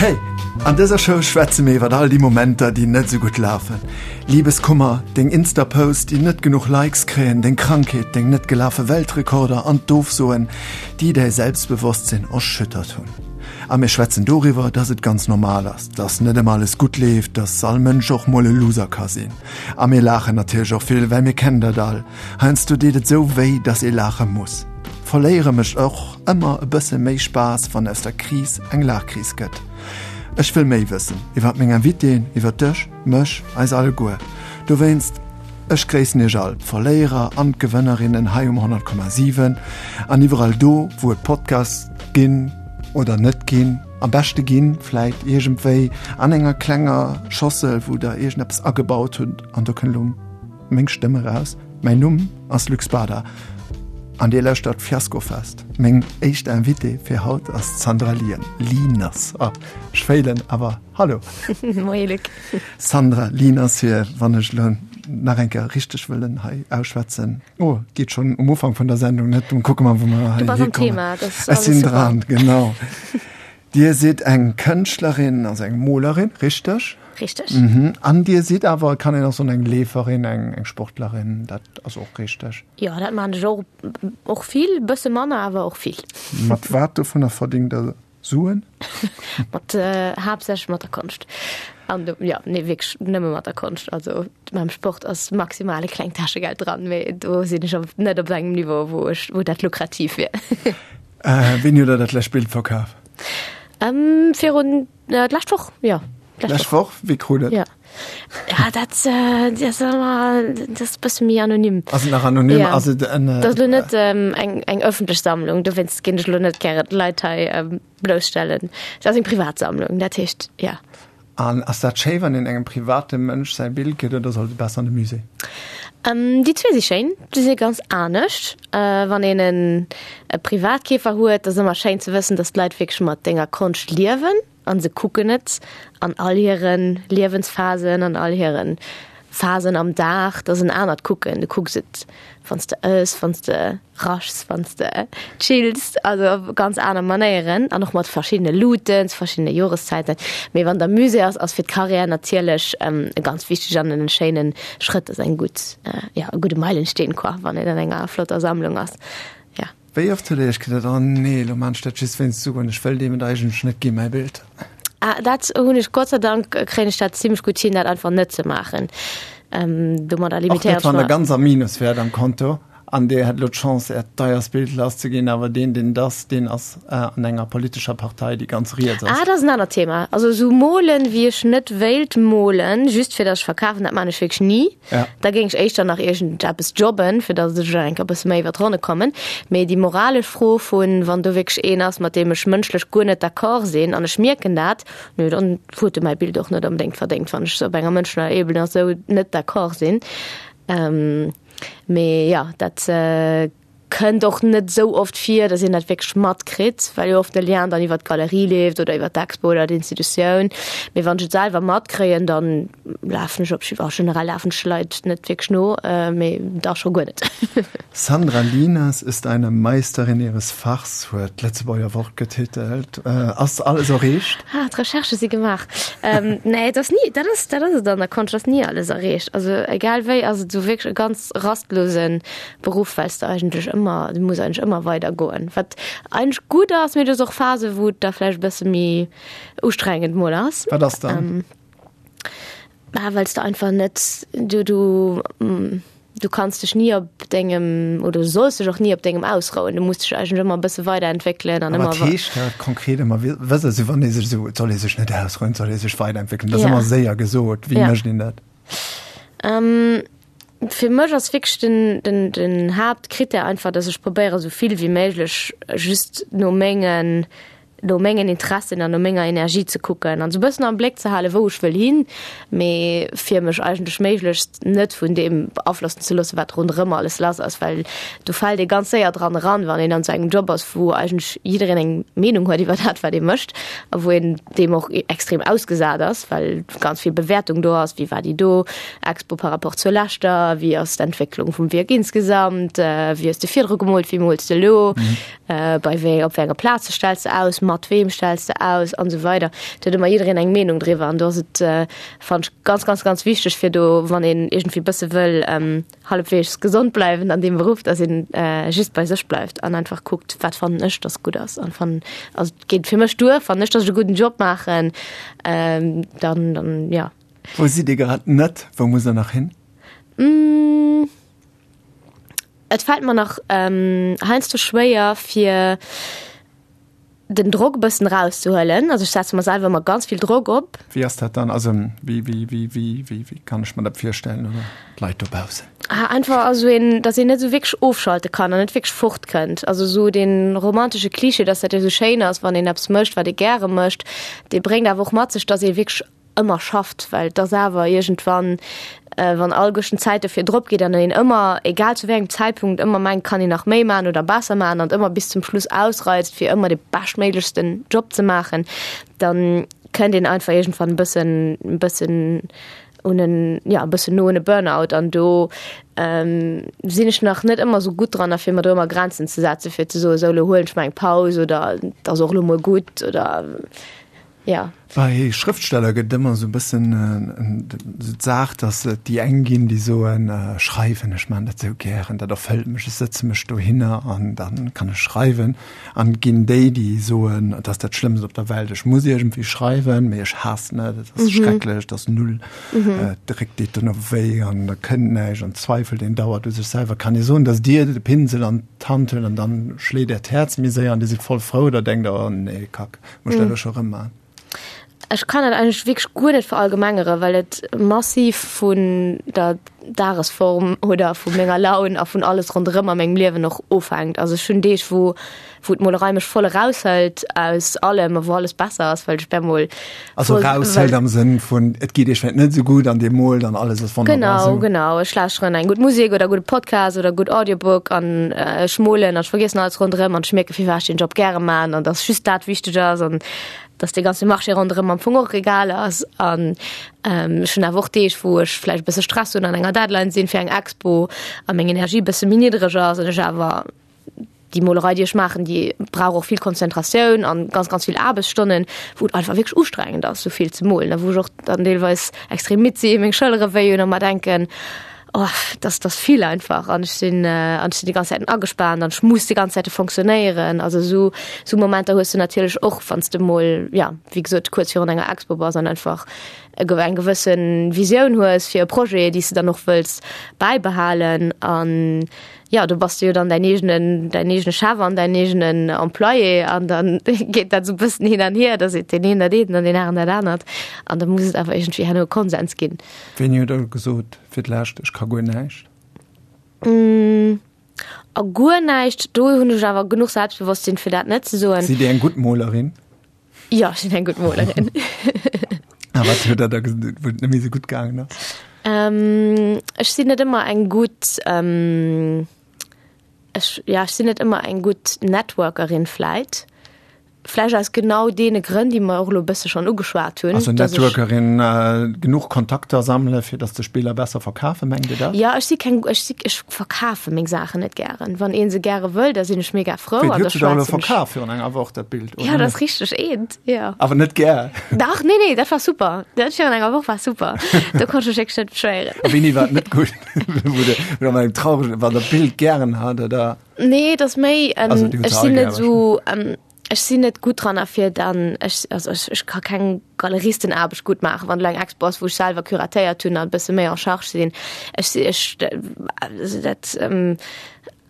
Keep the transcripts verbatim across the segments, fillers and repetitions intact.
Hey, an dëser Show schwätze mir iwwer all déi Momenter, déi net sou gutt lafen. Libeskummer, deng Insta-Posts, déi net genuch Likes kréien, deng Krankheet, deng net gelafe Weltrekorder an d'Ofsoen, déi däi Selbstbewosstsinn erschüttert hunn. A mir schwätzen doriwwer, dass et ganz normal ass, dass net ëmmer alles gutt leeft, dass all Mënsch och mol e Loser ka sinn. A mir laachen natierlech och vill, well mir kennen dat all, heiansdo deet et sou wéi, dass ee laache muss. Verléiere mécht och ëmmer e bësse méi Spaass, wann aus der Kris eng Laachkris gëtt. Ech wëll méi wëssen iwwer meng Invitéen, iwwer dech, mech, eis alleguer. Dowéinst, ech gréissen iech all, d'Verléierer an d'Gewënnerinnen hei um honnert Komma siwen an iwwerall do, wou et Podcasts ginn oder net ginn, am beschte ginn, vläit iergendwéi an enger klenger Schossel, wou der iergendeppes agebaut hutt an do kënnt elo meng Stëmm eraus. Mäin Numm ass Luc Spada an Dir lauschtert Fiaskofest. Meng éischt Invitée fir haut ass d'Sandra Lien, Lieners. Oh, ech féilen awer hallo. Moie Luc. Sandra Lieners hier, wann ech elo nach eng Kéier richteg wëllen hei ausschwätzen. Oh, geet schonn um Ufank vun der Sendung net. Dann kucke mer, wou mer hei Du bass am hikommen. Thema, dat ass Ech alles sinn super. dran, genau. Dir sidd eng Kënschtlerin, also eng Molerin, richteg? Richteg. Mhm. An Dir sidd awer, kann een och soen, eng Leeferin, eng, eng Sportlerin, dat ass och richteg? Jo, dat maachen ech och, och vill, bësse manner, awer och vill. Mat wat dovunner verdéngt Der Suen? Mat, äh, haaptsächlech mat der Konscht. An do, jo, nee, wierklech nëmme mat der Konscht. Also mam Sport ass maximal e klengt Täschegeld dran, mee do sinn ech op, net op engem Niveau, wou ech, wou dat lukrativ wier. Äh, wéini hutt Der dat lescht Bild verkaf? Ähm, virun, äh, d'lescht Woch, jo. D'lescht Woch? Wie krut et? Ja. Ja, dat, äh, dat ass ëmmer, dat ass e bësse méi anonym. Ass et nach anonym? Ja. Ass et en, äh, Dat ass lo net ähm, eng, eng ëffentlech Sammlung, dowéinst ginn ech lo net gären d'Leit hei ähm, blousstellen. Dat ass eng Privatsammlung, dat heescht, ja. An ass dat schéi, wann een engem private Mënsch säi Bild gëtt, oder sollt et besser an de Musée? Ähm, déi zwee si schéin, déi si ganz anescht. Äh, wann een en, e Privatkeefer huet, ass ëmmer schéin ze wëssen, dass d'Leit wierklech mat denger Konscht liewen an se kucken et an all hiren Liewensphasen, an all hiren Phasen am Dag. Dat ass en anert Kucken. Du kucks et, wann s de ëss, wann s de raschs, wann s de chills, also op ganz aner Manéieren an och mat verschiddene Luuten, zu verschiddene Joreszäiten. Mee wann et am Musée ass, ass fir d'Karriär natierlech e ganz wichteg an en schéinen Schrëtt, ass eng gutt, ja, e gudde Meilensteen, quoi, wann een an enger flotter Sammlung ass. Ja. Wéi oft hutt Dir Iech geduet, Oh nee, elo maan ech dat just wéinst Suen, ech wëll deem et eigentlech net ginn, mäi Bild? Ah, dat hunn ech, Gott sei Dank kréien ech dat zimmlech gutt hin, dat einfach net ze maachen. Ähm, domadder Och net, limitéiert ech wann Der mer. ganz am Minus wäert am Konto an Dir hätt elo d'Chance, Äert deierst Bild lasszeginn, awer deen, deen et ass, deen ass an enger politescher Partei, déi ganz riets ass. Ah, dat ass en anert Thema. Also esou molen, wéi ech net wéilt molen, just fir datt ech verkafen, dat maan ech wierklech ni. Ja. Da géing ech éischter nach iergendeppes jobben, fir datt ech eng Kéier e bësse méi iwwer d'Ronne kommen. Mee déi moralesch Fro vun, wann do wierklech een ass, mat deem ech mënschlech guer net d'accord sinn an ech mierken dat, nö, dann huet e mäi Bild och net onbedéngt verdéngt, wann ech op enger mënschlecher Ebene esou net d'accord sinn. Ähm, mee jo, dat kënnt och net esou oft vir, datt een dat wierklech matkritt, well jo oft de Lien dann iwwer d'Galerie leeft oder iwwer d'Expo oder d'Institutioun. Mee wann ech et selwer matkréien, dann lafen ech op jiddwer, generell lafen ech de Leit net wierklech no, mee da scho guer net. Sandra Lieners ist eine Meisterin ihres Fachs, huet d'Lëtzebuerger Wort getitelt. Ass alles erreecht? Ah, d'Recherchë si gemaach. Nee, et ass ni, dat ass, dat ass et an der Konscht, ass ni alles erreecht. Also egal wéi ass et esou wierklech e ganz rastlose Beruff, well s de eigentlech ëmmer, du muss eigentlech ëmmer weider goen, wat eigentlech gutt ass, mee du hues och Phase wou et da vläicht e bësse méi ustrengend mol ass. Wat ass dann? Bah, well s de einfach net, du, du, du kanns dech ni op dengem, oder du solls dech och ni op dengem ausrouen, du muss dech eigentlech ëmmer e bësse weiderentwéckelen an A ëmmer. wat heescht dat konkret ëmmer? Wëss also wann ee sech esou, et soll ee sech net ausrouen, et soll ee sech weiderentwéckelen, dat ass Ja. ëmmer séier gesot, wéi Ja. mécht een dat? Fir mech ass wierklech den, den, den Haaptkrittär einfach, dass ech probéiere sou vill wéi méiglech just no mengen, no mengen Interessen an no menger Energie ze kucken an sou bëssen am Bléck ze halen, wou ech wëll hin, mee fir mech eigentlech méiglechst net vun deem beaflossen ze loossen, wat ronderëm alles lass ass, well do fält ee ganz séier dran eran, wann een an sou engem Job ass, wou eigentlech jiddereen eng Meenung huet iwwer dat, wat ee mécht a wou een deem och extrem ausgesat ass, well ganz vill Bewäertung do ass, wéi war déi do Expo par rapport zur leschter, wéi ass d'Entwécklung vum Wierk insgesamt, wéi hues de virdru gemoolt, wéi mools de elo, bei wéi, op wéi enger Plaze stells de aus, Mat weem stells de aus an esou weider. Do huet ëmmer jiddereen eng Meenung driwwer an do ass et, fannen ech, ganz, ganz, ganz wichteg fir do, wann een iergendwéi bësse wëll hallefweegs gesond bleiwen an deem Beruff, dass een just bei sech bleift an einfach kuckt, wat fannen ech, dass gutt ass an fannen, also et geet fir mech duer, fannen ech, dass ech e gudden Job maachen, dann, dann, jo. Wou sidd Dir grad net? Wou musst Der nach hin? Et fält mer nach heiansdo schwéier fir den Drock e bëssen erauszehuelen. Also ech setze mer selwer ëmmer ganz vill Drock op. Wéi ass dat dann? Also wéi, wéi, wéi, wéi, wéi, wéi kann ech mer dat virstellen oder d'Leit dobaussen? Ah, einfach also een, dass een net esou wierklech ofschalte kann an net wierklech fortkënnt. Also esou dee romantesche Klischee, dass dat jo esou schéin ass, wann een eppes mécht, wat ee gäre mécht, dee bréngt awer och mat sech, dass ee wierklech ëmmer schafft, well et ass awer iergendwann, wann alleguerten d'Zäit dofir drop geet an een ëmmer, egal zu wéi engem Zäitpunkt, ëmmer mengt, kann een nach méi maachen oder besser maachen an ëmmer bis zum Schluss ausreizt, fir ëmmer de beschtméiglechsten Job ze maachen, dann kënnt een einfach iergendwann e bëssen, e bëssen un en, ja, e bëssen no un e Burnout. An do sinn ech nach net ëmmer esou gutt dran, fir mer do ëmmer Grenzen ze setzen, fir ze soen, esou elo huelen ech mer eng Paus oder et ass och elo mol gutt oder. Ja. Bei Schrëftsteller gëtt et ëmmer esou e bëssen esou d'Saach, datt et déi eng ginn, déi soen, Schreiwen, ech maachen dat esou gären, dat erfëllt mech, ech sëtze mech dohinner an da kann ech schreiwen. An et ginn déi, déi soen, et ass dat Schlëmmst op der Welt, ech muss iergendwéi schreiwen, mee ech haassen et, et ass schrecklech, et ass null, de Réck deet dono wéi an da kënnt näischt an zweifelt een dauernd u sech selwer. Kann ee soen, datt Dir de Pinsel an d'Hand huelt an dann schléit Äert Häerz méi séier an Dir sidd voll frou oder denkt Der, oh nee, Kack, muss ech dat elo scho rëm maachen? Ech kann dat eigentlech wierklech guer net verallgemengeren, well et massiv vun der Dagesform oder vu menger Laun a vun alles ronderëm a mengem Liewen och ofhänkt. Also ech hunn Deeg, wou wou d'Molerei mech voll eraushëlt aus allem a wou alles besser ass, well ech op eemol Also eraushëlt am Sënn vun et geet iech vläicht net esou gutt an Dir moolt an alles ass wonnerbar Genau, esou. genau. Ech lauschteren eng gutt Musek oder e gudde Podcast oder e gutt Audiobook an ech molen an ech vergiessen alles ronderëm an ech mierke firwat ech deen Job gäre man an dass just dat wichteg ass an dass dee ganze Marché ronderëm am Fong och egal ass. An ech hunn awer och Deeg, wou ech vläicht e bësse Stress hunn an enger Deadline sinn fir eng Expo a meng Energie e bësse méi niddreg ass an ech awer déi Molerei, déi ech maachen, déi brauch och vill Konzentratioun an ganz, ganz vill Aarbechtsstonnen, wou et einfach wierklech ustrengend ass, esou vill ze molen a wou ech och dann deelweis extrem midd sinn, meng Schëllere wéi hunn a mer denken, Oh, das, das vill einfach an ech sinn äh, an ech sinn déi ganz Zäiten agespaant an ech muss déi ganz Zäite fonctionnéieren. Also sou sou Momenter hues du natierlech och, wann s de mol, ja, wéi gesot, kuerz virun enger Expo bass an einfach e ge eng gewëssen Visioun hues fir e Projet, déi s de dann och wëlls bäibehalen. An ja, do bass du jo dann däin eegenen däin eegene Chef an däin eegenen Employé an dann geet dat sou bëssen hin an hier, da seet deen een dat eent an deen aneren dat anert an da muss et awer iergendwéi herno e Konsens ginn. Wéini huet Der gesot fir d'lescht, ech ka guer näischt? A guer näischt, do hunn ech awer genuch Selbstbewosstsinn, fir dat net ze soen. Sidd Dir eng gutt Molerin? Jo, ech sinn eng gutt Molerin. A wat huet Der da gesot, wou et net méi esou gutt gaangen ass? Ech sinn net ëmmer eng gutt, ech, ja, ech sinn net ëmmer eng gutt Networkerin vläit. Vläicht aus genau deene Grënn, déi mer och elo e bësse schonn ugeschwat hunn. Also Networkerin, genuch Kontakter sammele fir datt sech Biller besser verkafen, mengt Dir dat? Jo, ech si keng, ech si, ech verkafe meng Saachen net gären. Wann ee se gäre wëll, da sinn ech mega frou an da schwätzen ech. Wéi, huet se der elo verkaf virun enger Woch dat Bild, oder? Jo, dat ass richteg, eent, jo. Awer net gär? Dach, nee, nee, dat war super. Dat virun enger Woch war super. Do konnt ech mech wierklech net beschwéieren. A wéini war et net gutt? Wou de, wou der eng traureg, wann der d'Bild gären hat, oder? Nee, et ass méi, ech sinn net esou, Ech sinn net gutt dran a fir dann, ech, also ech, ech ka keng Galeristenaarbecht gutt maachen, wann elo eng Expo ass, wou ech selwer curatéiert hunn an e bësse méi en charge sinn. Ech si, ech, also dat,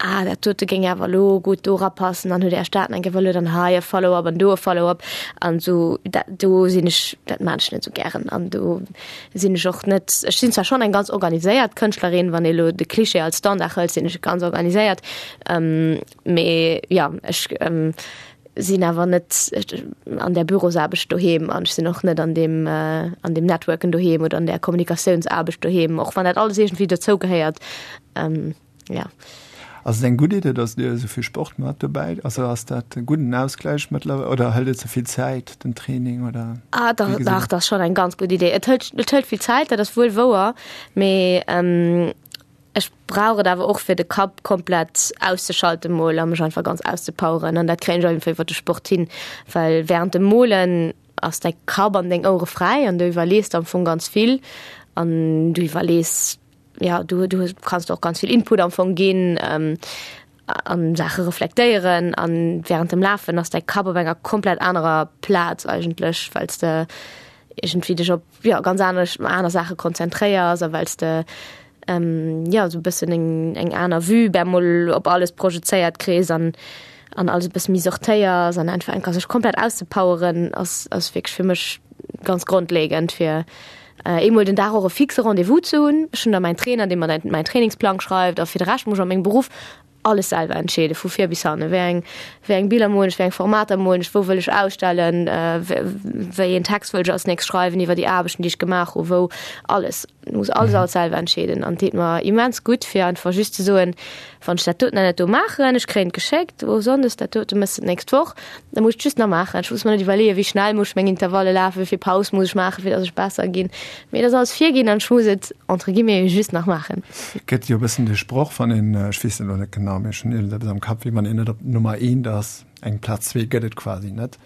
ah, dat dote géing awer elo gutt do erapassen, dann hutt Är Stad eng Kéier wëlle dann hei e Follow-up an do e Follow-up an esou. Dat do sinn ech, dat maan ech net esou gären an do sinn ech och net, ech sinn zwar schonn eng ganz organiséiert Kënschtlerin, wann ee elo de Cliché als Standard hëlt, sinn ech ganz organiséiert, Mee jo, ech sinn awer net an där Bürosaarbecht doheem an ech sinn och net an deem, an deem Networken doheem oder an där Kommunikatiounsaarbecht doheem, och wann dat alles iergendwéi dozou gehéiert. Jo. Ass et eng gutt Idee, datt Dir esou vill Sport maacht dobäi? Also ass dat e gudden Ausgläich mëttlerweil oder hëlt et ze vill Zäit, den Training oder? Ah dach, dach, dat ass schonn eng ganz gutt Idee. Et hëlt, et hëlt vill Zäit, dat ass wuel wouer, mee Ech brauch et awer och fir de Kapp komplett auszeschalten mol a mech einfach ganz auszepoweren an dat kréien ech einfach iwwer de Sport hin, well während dem Molen ass däi Kapp an deng Ouere fräi an du iwwerlees am Fong ganz vill an du iwwerlees ja du du kanns och ganz vill Input am Fong ginn ähm, an Saache reflektéieren an während dem Lafen ass däi Kapp op enger komplett anerer Plaz eigentlech, well s de iergendwéi dech op ja ganz anesch aner Saache konzentréiers a well s de ähm, ja sou e bëssen eng eng aner Vue bemol op alles projezéiert kriss an an alles e bësse méi sortéiers an einfach enker sech komplett auszepoweren ass ass wierklech fir mech ganz grondlegend fir äh, eemol den Dag och e fixe Rendez-vous ze hunn. Ech hunn da mäin Trainer, dee mer mäin Trainingsplang schreift a fir de Rescht muss ech a mengem Beruff alles selwer entscheede vu vir bis hanne. Wéi eng wéi eng Biller molen ech, wéi eng Formater molen ech, wou wëll ech ausstellen, wéi een Text wëll ech als nächst schreiwen iwwer déi Aarbechten, déi ech gemaach hu, wou alles. Muss alles alles selwer entscheeden an deet mer immens gutt fir einfach just ze soen, wann ech dat doten an dat do maachen, ech kréien et geschéckt, oh Sonndes dat dote méchs de d'nächst Woch, da muss ech et just nach maachen. Ech muss mer net iwwerleeën, wéi schnell muss ech meng Intervalle lafen, wéi vill Paus muss ech maachen, fir datt ech besser ginn. Mee et ass alles virginn an ech muss et entre guillemets just nach maachen. Gëtt jo e bëssen de Sproch, wann een, ech weess et elo net genau, mee ech hunn iergendeppes am Kapp, wéi wann een net op Nummer eent ass, eng Plaz zwee gëtt et quasi net.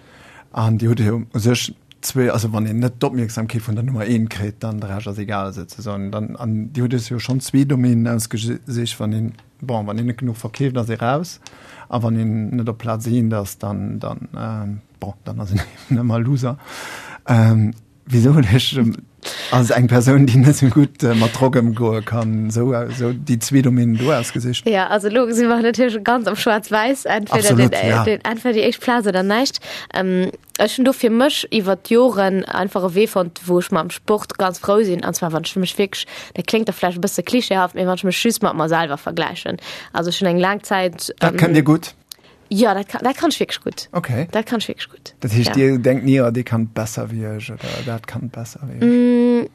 An Dir hutt jo u sech zwee, also wann een net d'Opmierksamkeet vun der Nummer eent kritt, dann de Rescht ass egal souzesoen. Dann, an Dir hutt Iech jo schonn zwee Domänen ausgesicht, wann een, bon, wann een net genuch verkeeft, ass ee raus, a wann een net op Plaz eent ass, dann, dann, bon, dann ass een eben ëmmer Loser. Wisou hutt Iech als eng Persoun, déi net esou gutt mat Drock ëmgoe kann, esou, esou déi zwee Domänen do ausgesicht? Ja, also elo si mer natierlech ganz am Schwaarz-Wäiss, entweder den, Absolut, ja. den, entweder déi éischt Plaz oder näischt. Ech hunn do fir mech iwwer d'Joren einfach e Wee fonnt, wou ech mam Sport ganz frou sinn, an zwar wann ech mech wierklech, dat kléngt da vläicht e bësse klischeehaft, mee wann ech mech just mat mer selwer vergläichen. Also ech hunn eng laang Zäit. Dat kënnt Dir gutt? Jo, dat kann, dat kann ech wierklech gutt. Okay. Dat kann ech wierklech gutt. Dat heescht, Ja. Dir denkt ni, oh, dee kann besser wéi ech oder dat kann besser wéi ech? Mm,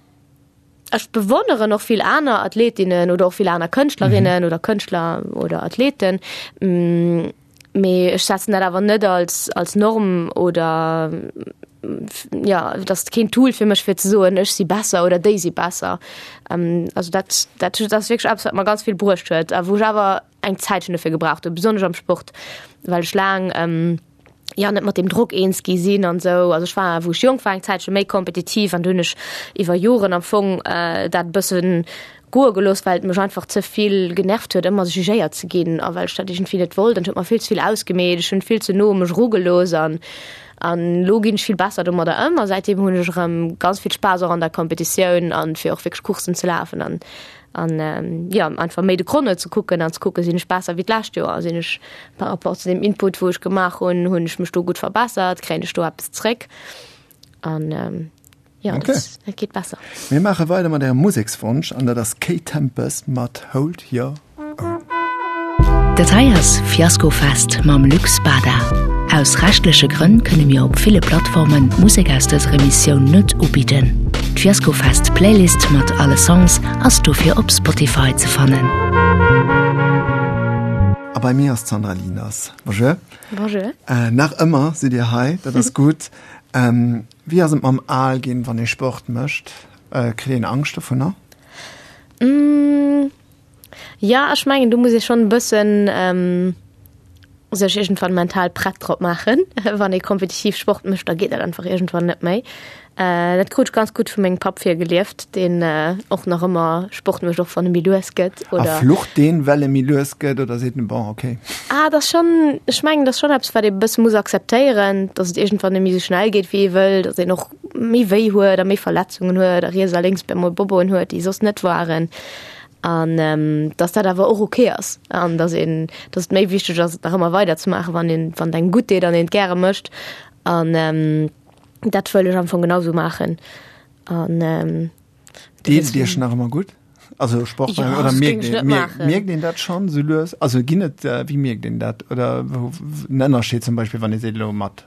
ech bewonneren och vill aner Athletinnen oder och vill aner Kënschtlerinnen oder Kënschtler oder Athleten. Mm, mee ech setzen dat awer net als, als Norm oder ja, dat ass keen Tool fir mech fir ze soen, ech si besser oder déi si besser. Ähm, also dat, dat, dat ass wierklech eppes, wat mer ganz vill bruecht huet a wou ech awer eng Zäitchen dofir gebraucht hunn, besonnesch am Sport, well ech laang ähm, ja net mat dem Drock eens gi sinn an sou. Also ech war, wou ech jonk war, eng Zäitche méi kompetitiv an du hunn ech iwwer Joren am Fong äh, dat bëssen goe gelooss, well et mech einfach ze vill genervt huet, ëmmer jugéiert ze ginn a well ech dat iergendwéi net wollt. An et huet mer vill ze vill ausgemeet, ech hunn vill ze no u mech erugelooss an an elo ginn ech vill besser domadder ëm a säitdeem hunn ech erëm ganz vill Spaass och an der Competitioun an fir och wierklech Courssen ze lafen an an jo einfach méi de Chrono ze kucken an ze kucken, sinn ech besser wéi d'lescht Joer, sinn ech par rapport zu deem Input wou ech gemaach hunn, hunn ech mech do gutt verbessert, kréien ech do eppes zréck an Jo, okay. dat, dat geet besser. Mir maache weider mat Ärem Musekswonsch an dat ass Kate Tempest mat Hold Your Own. Dat hei ass Fiaskofest mam Luc Spada. Aus rechtleche Grënn kënne mir op ville Plattformen d'Musek aus dëser Emissioun net ubidden. D'Fiaskofest Playlist mat alle Songs ass dofir op Spotify ze fannen. A bei mir ass d'Sandra Lieners. Bonjour. Bonjour. Äh, nach ëmmer sidd Dir hei, dat ass gutt. Ähm, wéi ass et mam al ginn, wann ee Sport mécht? Äh, kritt een Angscht dovunner? Mm, ja, ech mengen, do muss ee schonn e bëssen ähm, sech iergendwann mental prett drop maachen. Wann ee kompetitiv Sport mécht, da geet dat einfach iergendwann net méi. Äh, dat krut ech ganz gutt vu mengem Papp virgelieft, deen äh, och nach ëmmer Sport mécht, och wann e méi lues gëtt. A Oder flucht deen, well e méi lues gëtt, oder seet en, bon, okay? Ah, dat ass schonn, ech mengen, dat ass schonn eppes, wat ee bësse muss akzeptéieren, datt et iergendwann net méi esou schnell geet, wéi ee wëll, datt een och méi wéi huet a méi Verletzungen huet a riets a lénks op emol Bobboen huet, déi soss net waren. An datt dat awer och ok ass an datt een, datt et méi wichteg ass, et nach ëmmer weiderzemaachen, wann een, wann et engem gutt deet an een et gäre mécht. An dat wëll ech am Fong genau sou maachen. An Deet et Iech nach ëmmer gutt? Also Sport Ja, oder das mierkt géing ech een, net mierkt, maachen. mierkt een dat schonn sou lues? Also ginn et, wéi mierkt een dat? Oder wou, en Ënnerscheed zum Beispill, wann ee seet elo mat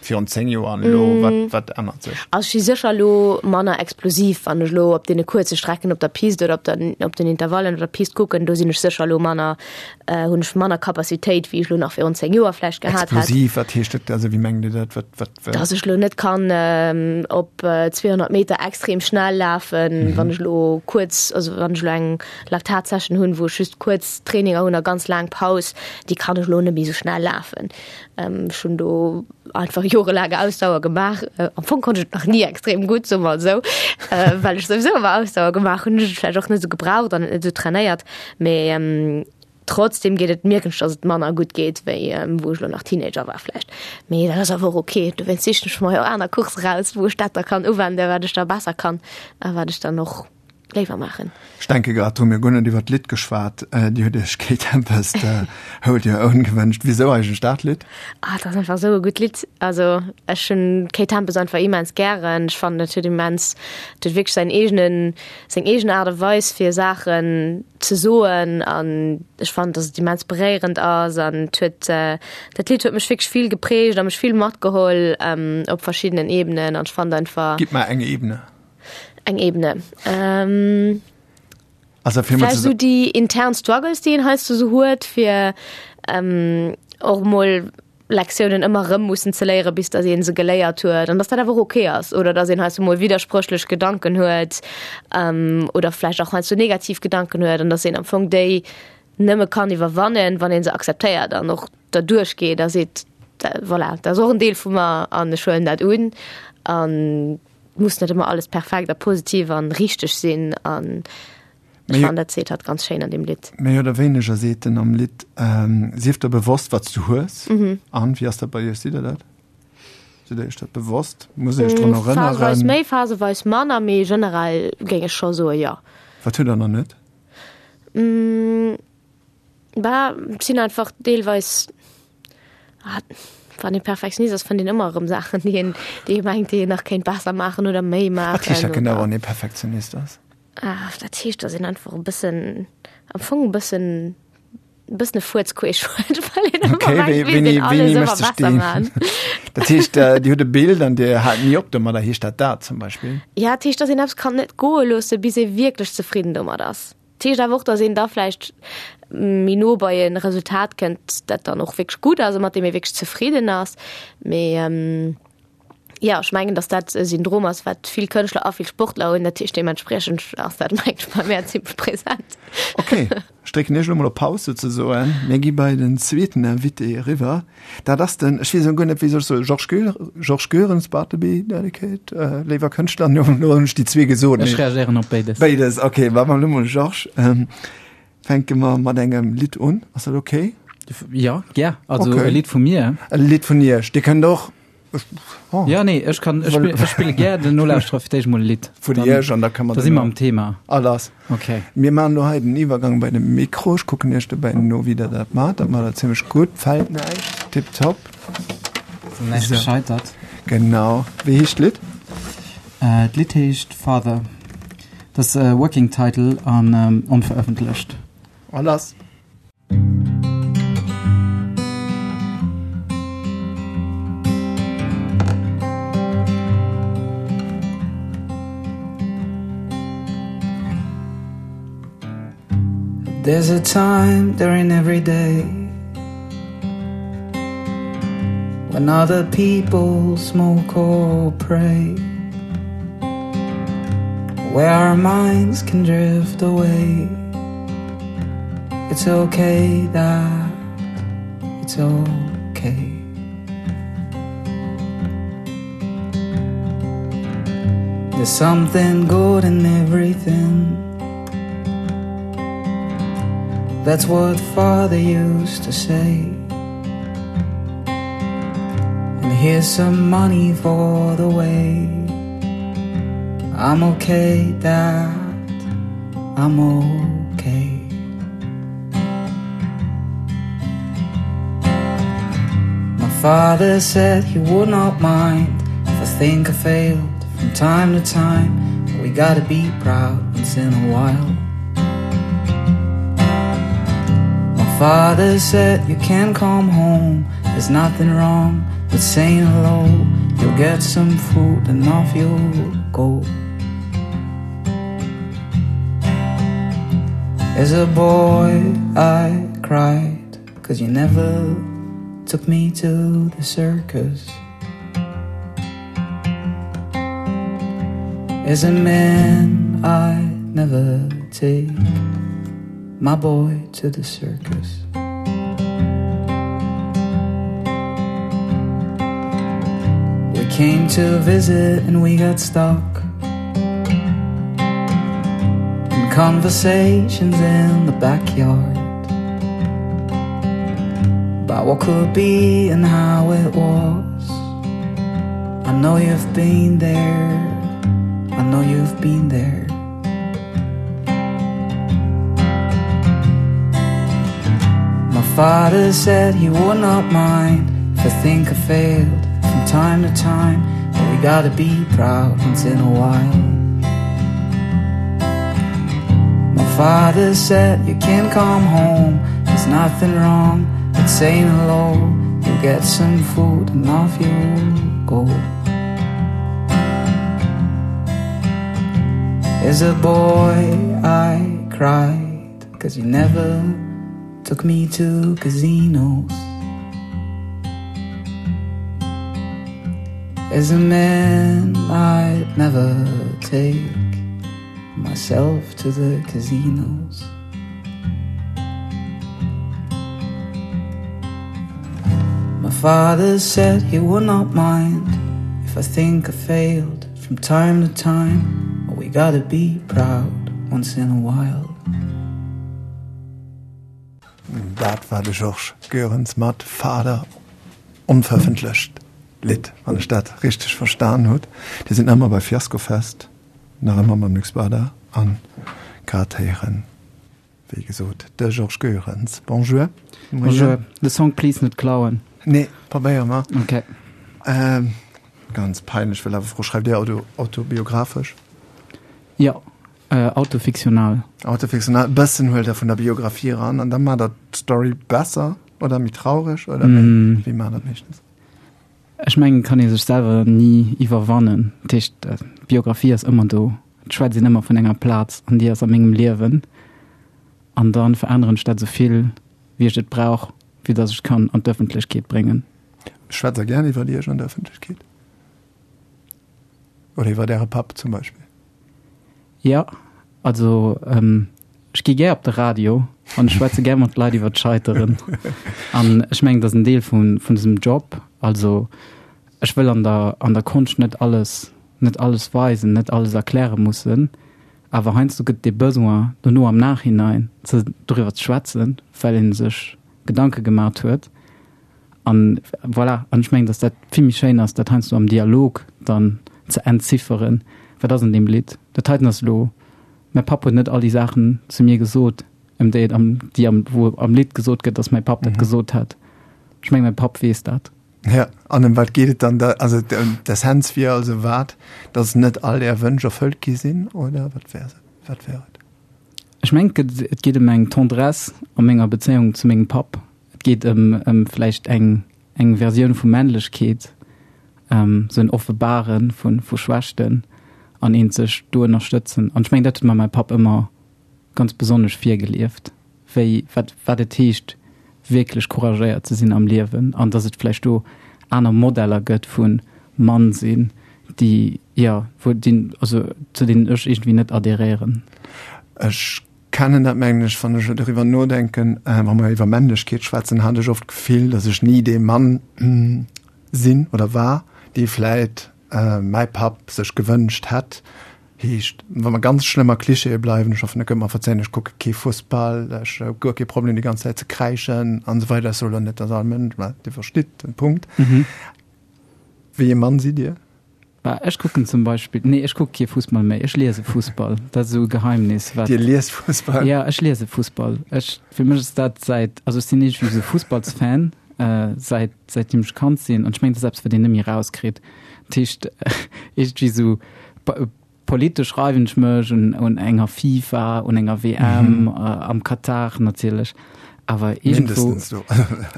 Virun zéng Joer an elo, wat, wat ännert sech? Also ech si sécher elo manner explosiv, wann ech elo op deene kuerze Strecken op der Pist oder op der, op den Intervallen op der Pist kucken, do sinn ech sécher elo manner, hunn ech manner Capacitéit, wéi ech elo nach virun zéng Joer vläicht gehat hätt. Explosiv, wat heescht dat? Also wéi mengt Dir dat? Wat, wat, wat? Dass ech elo net kann op zweehonnert Meter extrem schnell lafen, wann ech elo kuerz, also wann ech elo eng Laktatsession hunn, wou ech just kuerz Traininger hunn a ganz laang Paus, déi kann ech elo net méi esou schnell lafen. Ech hunn do einfach jorelaang Ausdauer gemaach. Am Fong konnt ech et nach ni extrem gutt, soe mer esou, well ech souwisou ëmmer Ausdauer gemaach hunn, hunn ech et vläicht och net esou gebraucht an net esou trainéiert. Mee trotzdem geet et, mierken ech, datt et manner gutt geet, wéi wou ech elo nach Teenager war vläicht. Mee dat ass awer och ok. Dowéinst sichen ech mer jo aner Coursse raus, wou ech dat da kann uwenden, wat ech da besser kann a wat ech dann och léiwer maachen. Ech denke grad drun, mir hu guer net iwwer d'Lidd geschwat. Dir hutt Iech Kate Tempest Hold Your Own gewënscht. Wisou eigentlech dat Lidd? Ah, dat ass einfach esou e gutt Lidd. Also ech hunn d'Kate Tempest einfach immens gären. Ech fannen, dat huet immens, dat huet wierklech säin eegenen, seng eegen Aart a Weis fir Saachen ze soen an ech fannen, datt et immens beréierend ass an et huet, dat Lidd huet mech wierklech vill geprägt a mech vill matgeholl op verschiddenen Ebenen an ech fannen einfach. Gitt mer eng Ebene. Eng Ebene. Ähm, also fir Vläicht esou déi intern Struggles, déi een heiansdo esou huet, fir ähm, och mol Lektiounen ëmmer erëm mussen ze léieren, bis datt ee se geléiert huet an datt dat awer och ok ass oder datt een heiansdo mol widderspréchlech Gedanken huet ähm, oder vläicht och heiansdo negativ Gedanken huet an datt een am Fong déi nëmme kann iwwerwannen, wann ee se akzeptéiert an och derduerch geet a seet, voilà, dat ass och en Deel vu mer an ech huelen dat un an muss net ëmmer alles perfekt a positiv an richteg sinn an ech fannen dat seet hatt ganz schéin an deem Lidd. Méi oder wéineger seet en am Lidd, sief der bewosst wat s du hues. An wéi ass dat bei iech, sidd der dat? Sidd der iech dat bewosst? Muss een iech drun erënneren? Phaseweis méi, phaseweis manner, mee generell géing ech scho soe jo. Wat hutt der nach net? Bah, et sinn einfach deelweis, wann ee Perfektionist ass, fënnt een ëmmer erëm Saachen, déi een, déi ee mengt, déi een nach kéint besser maachen oder méi maachen. Wat heescht dat genau, wann ee Perfektionist ass? Ah, dat heescht, datt een einfach e bëssen, am Fong e bëssen, e bëssen e Fuerz queesch huet, well een ëmmer Okay, mengt, wéi, wéilt wéini, een alles wéini ëmmer mécht sech besser deen? maachen. Dat heescht, Dir hutt e Bild an Dir haalt ni op domadder, heescht dat dat zum Beispill? Ja, dat heescht, datt een eppes kann net goe loosse, bis ee wierklech zefridden domat ass. Dat heescht awer och, datt een da vläicht méi no bei e Resultat kënnt, dat dann och wierklech gutt ass a mat deem ee wierklech zefridden ass. Mee jo, ech mengen, datt dat e Syndrom ass, wat vill Kënschtler a vill Sportler hunn. Dat heescht, deementspriechend ass dat, mengen ech, bei mär zimmlech present. Ok, ech drécken Iech elo mol op Paus souzesoen. Mir gi bei den zweeten Invité eriwwer. Dat ass den, ech weess elo guer net, wéi soll ech soen, Georges Goer, Georges Goerens, Bartleby, Delicate, léiwer Kënschtler, elo hunn ech déi zwee gesot. Ech reagéieren op béides. Béides, ok. Maache mer elo mol Georges. Fänke mer mat engem Lidd un, ass dat ok? Jo, gär. Also okay. e Lidd vu mir. E Lidd vun Iech. Dir kënnt och. Oh. Ja, nee, ech kann ech spill, ech spille gär den Nolauschterer fir d'éischt mol e Lidd. Vun Iech an da kann man. Da si mer am Thema. Ah, lass. Okay. Mir maachen elo hei den Iwwergang bei de Mikro. Ech kucken Iech dobäi no, wéi Der dat maacht. Dat maacht Der zimmlech gutt. Fält näischt. Tipptopp. Ass näischt gescheitert. Genau. Wéi heescht d'Lidd? Äh, d'Lidd heescht Father. Dat ass e Working Title an onverëffentlecht. A lass! There's a time during every day When other people smoke or pray Where our minds can drift away It's okay that it's okay There's something good in everything That's what father used to say And here's some money for the way I'm okay that I'm okay My father said he would not mind If I think I failed from time to time But we gotta be proud once in a while My father said you can come home There's nothing wrong with saying hello. You'll get some food and off you'll go. As a boy I cried, cause you never took me to the circus. As a man I never take my boy to the circus. We came to visit and we got stuck in conversations in the backyard about what could be and how it was. I know you've been there, I know you've been there. My father said he would not mind if I think I failed from time to time, but we gotta be proud once in a while. My father said you can come home, there's nothing wrong with saying hello. You'll get some food and off you go. As a boy I cried, cause you never took me to casinos. As a man I'd never take myself to the casinos. My father said he would not mind if I think I failed from time to time, but we gotta be proud once in a while. Dat war de Georges Goerens mat Father, onverëffentlecht Lidd, wann ech dat richteg verstan hutt. Dir sidd nach ëmmer bei Fiaskofest, nach ëmmer mam Luc Spada an grad héieren, wéi gesot, de Georges Goerens. Bonjour. Bonjour. De Song please net klauen. Nee, probéiere mer. Okay. Ähm, ganz peinlech, well awer Fro, schreift Dir auto, autobiographesch? Jo, äh, autofiktional. Autofiktional, e bëssen huelt Der vun der Biografie eran an da maacht Der d'Story besser oder méi traureg oder wéi, Mm. wéi maacht Der dat meeschtens? Ech mengen, kann ee sech selwer ni iwwerwannen. Dat heescht, d'Biografie ass ëmmer do. Et schwätzt een ëmmer vun enger Plaz an déi ass a mengem Liewen. An dann veränneren ech dat esou vill, wéi ech et brauch, fir datt ech kann an d'Ëffentlechkeet bréngen. Schwätzt Der gär iwwer Iech an der Ëffentlechkeet? Oder iwwer Äre Papp zum Beispill? Jo, also ähm, ech gi gär op de Radio an ech schwätze gär mat Leit iwwer d'Scheiteren. An ech mengen, dat ass en Deel vun, vun dësem Job. Also ech wëll an der, an der Konscht net alles, net alles weisen, net alles erkläre mussen. Awer heiansdo gëtt de Besoin, dono am Nachhinein ze, doriwwer ze schwätzen, well ee sech Gedanke gemaach huet. An voilà, an ech mengen, dass dat vill méi schéin ass, dat heiansdo am Dialog dann ze entzifferen, wat ass an deem Lidd. Dat heiten ass elo, mäi Papp huet net all déi Saachen zu mir gesot, ëm déi et am, déi am, wou am Lidd gesot gëtt, dass mäi Papp dat Mhm. gesot hätt. Ech mengen, mäi Papp weess dat. Ja, an ëm wat geet et dann da? Also d'Essenz wier also wat, dass net all är Wënsch erfëllt gi sinn, oder wat wär se? Wat wär et? Ech mengen, et geet ëm eng Tendresse a menger Bezéiung zu mengem Papp. Et geet ëm, ëm vläicht eng, eng Versioun vu Männlechkeet, ähm, sou en Offenbare vu, vu Schwächten an een sech do ënnerstëtzen. An ech mengen, dat huet mer mäi Papp ëmmer ganz besonnesch virgelieft, wéi, wat, wat et heescht, wierklech couragéiert ze sinn am Liewen an dass et vläicht do aner Modeller gëtt vu Mann sinn, déi, jo, wou déi, also zu deenen ech iergendwéi net adheréieren. Ech kennen dat, mengen ech, wann ech doriwwer nodenken, äh, wa mer iwwer Männlechkeet schwätzen, hat ech oft d'Gefill, dass ech ni dee Mann sinn oder war, dee vläit äh, mäi Papp sech gewënscht hätt. Heescht, wa mer ganz schlëmm a Klischeeë bleiwen, ech hoffen, der kënnt mer verzéien, ech kucke kee Fussball, ech hu guer kee Problem déi ganz Zäit ze kräischen an esou weider, ech soe lo net, dass all Mënsch, mä Dir verstitt den Punkt. Mhm. Wéi ee Mann sidd Dir? Bah, ech kucken zum Beispill, nee, ech kucke kee Fussball méi, ech liese Fussball. Dat ass esou e Geheimnis, wat. Dir liest Fussball? Ja, ech liese Fussball. Ech, fir mech ass dat säit, also ech sinn iergendwéi esou Fussballsfan, äh, säit, säitdeem ech Kand sinn. An ech mengen, dat ass eppes, wat een net méi erauskritt. Dat heescht, iergendwéi esou politesch reiwen ech mech un, un enger FIFA, un enger W M, mhm. äh, am Katar natierlech. Awer iergendwou. Mindestens do,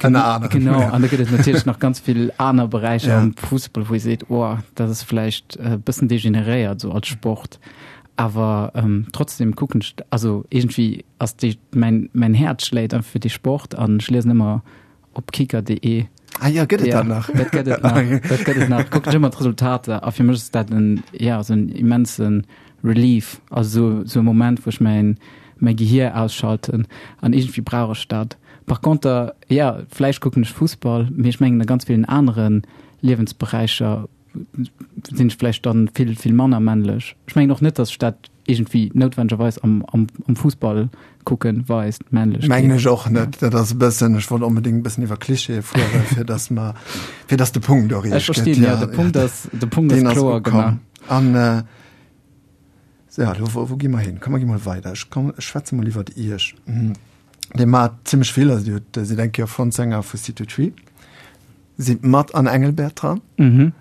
ënner anerem. Genau, an da gëtt et natierlech nach ganz vill aner Beräicher Ja. am Fussball, wou ee seet, oh, dat ass vläicht e bëssen degeneréiert esou als Sport. Awer ähm, trotzdem kucken ech, also iergendwéi ass déi, mäin, mäin Häerz schléit einfach fir dee Sport an ech liesen ëmmer op kicker.de. Ah ja, gëtt et Ja, dat nach? dat gëtt et nach. Dat gëtt et nach. Kucken ech ëmmer d'Resultater a fir mech ass dat en, ja, esou en immense Relief, also esou e Moment, wou ech mäin, mäi Gehier ausschalten an iergendwéi brauch ech dat. Par conter, ja, vläicht kucken ech Fussball, mee ech mengen a ganz villen anere Liewensberäicher sinn ech vläicht dann vill, vill manner männlech. Ech mengen och net, dass ech dat iergendwéi noutwendegerweis am, am, am Fussball kucken weist, Männlechkeet. Mengen ech och net. Dat ass e bëssen, ech wollt onbedéngt e bëssen iwwer Klischeeë fueren, fir dass mer, fir dass de Punkt och Ech riicht gëtt. verstinn, ja, de Punkt ass, de Punkt ass Deen ass kloer ukomm. gemaach. An, äh, Ja, lo, wou, wou gi mer hin? Komm, mer gi mol weider. Ech komm, ech schwätze mol iwwert Iech. Dir maacht zimmlech vill, also Dir hutt, sidd eng Kéier Frontsänger vu C Two Tree, sidd mat an Engelbert dran. Mhm.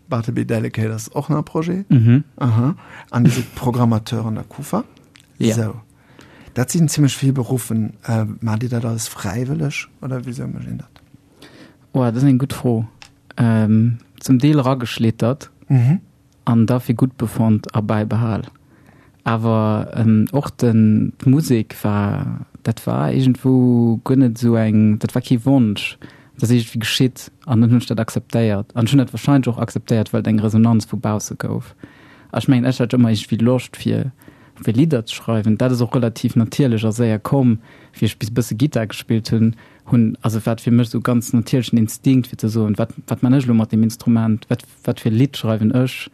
Bartleby Delicate ass och nach e Projet. Mhm. Aha. An Dir sidd Programmateur an der Kufa. Ja. Sou. Dat sinn zimmlech vill Beruffen. Äh, maacht Dir dat alles fräiwëlleg oder wisou mécht een dat? Oh, dat ass eng gutt Fro. Ähm, zum Deel erageschlittert. Mhm. An da fir gutt befonnt a bäibehal. Awer och den, d'Musek war, dat war iergendwou guer net esou eng, dat war kee Wonsch, dat ass iergendwéi geschitt an dann hunn ech dat akzeptéiert. An ech hunn dat warscheinlech och akzeptéiert, well et eng Resonanz vu bausse gouf. A ech mengen, ech hat ëmmer iergendwéi Loscht fir, fir Lidder ze schreiwen. Dat ass och relativ natierlech a séier komm, wéi ech bis e bësse Gittar gespillt hunn, hunn, also war et fir mech esou ganz natierlechen Instinkt fir ze soen, wat, wat man ech elo mat deem Instrument, wat, wat fir e Lidd schreiwen ech?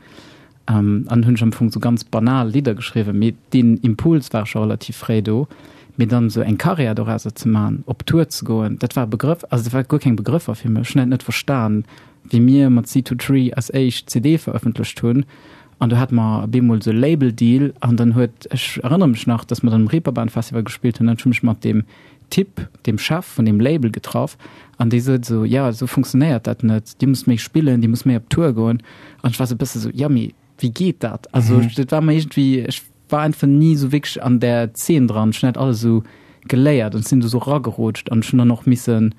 An hunn ech am Fong sou ganz banal Lidder geschriwwen, mee deen Impuls war scho relativ fréi do. Mee dann esou eng Karriär dorauser ze man, op Tour ze goen, dat war e Begrëff, also dat war guer keng Begrëffer fir mech. Ech hunn dat net verstan, wéi mir mat Sea To Tree eis éischt C D verëffentlecht hunn an do hate mer op eemol esou e Label-Deal an dann huet, ech erënnere mech nach, dass mer dann um Reeperbahn Festival gespillt hunn an ech hu mech mat deem Typ, deem Chef vun deem Label getraff an dee sot esou, jo, esou funktionéiert dat net, Dir musst méi spillen, Dir musst méi op Tour goen. An ech war esou e bësse esou, jo, mee wéi geet dat? Also dat war mer iergendwéi, ech war einfach ni esou wierklech an där Zeen dran, ech hunn dat alles esou geléiert an sinn do esou eragerutscht an ech hunn dann och missen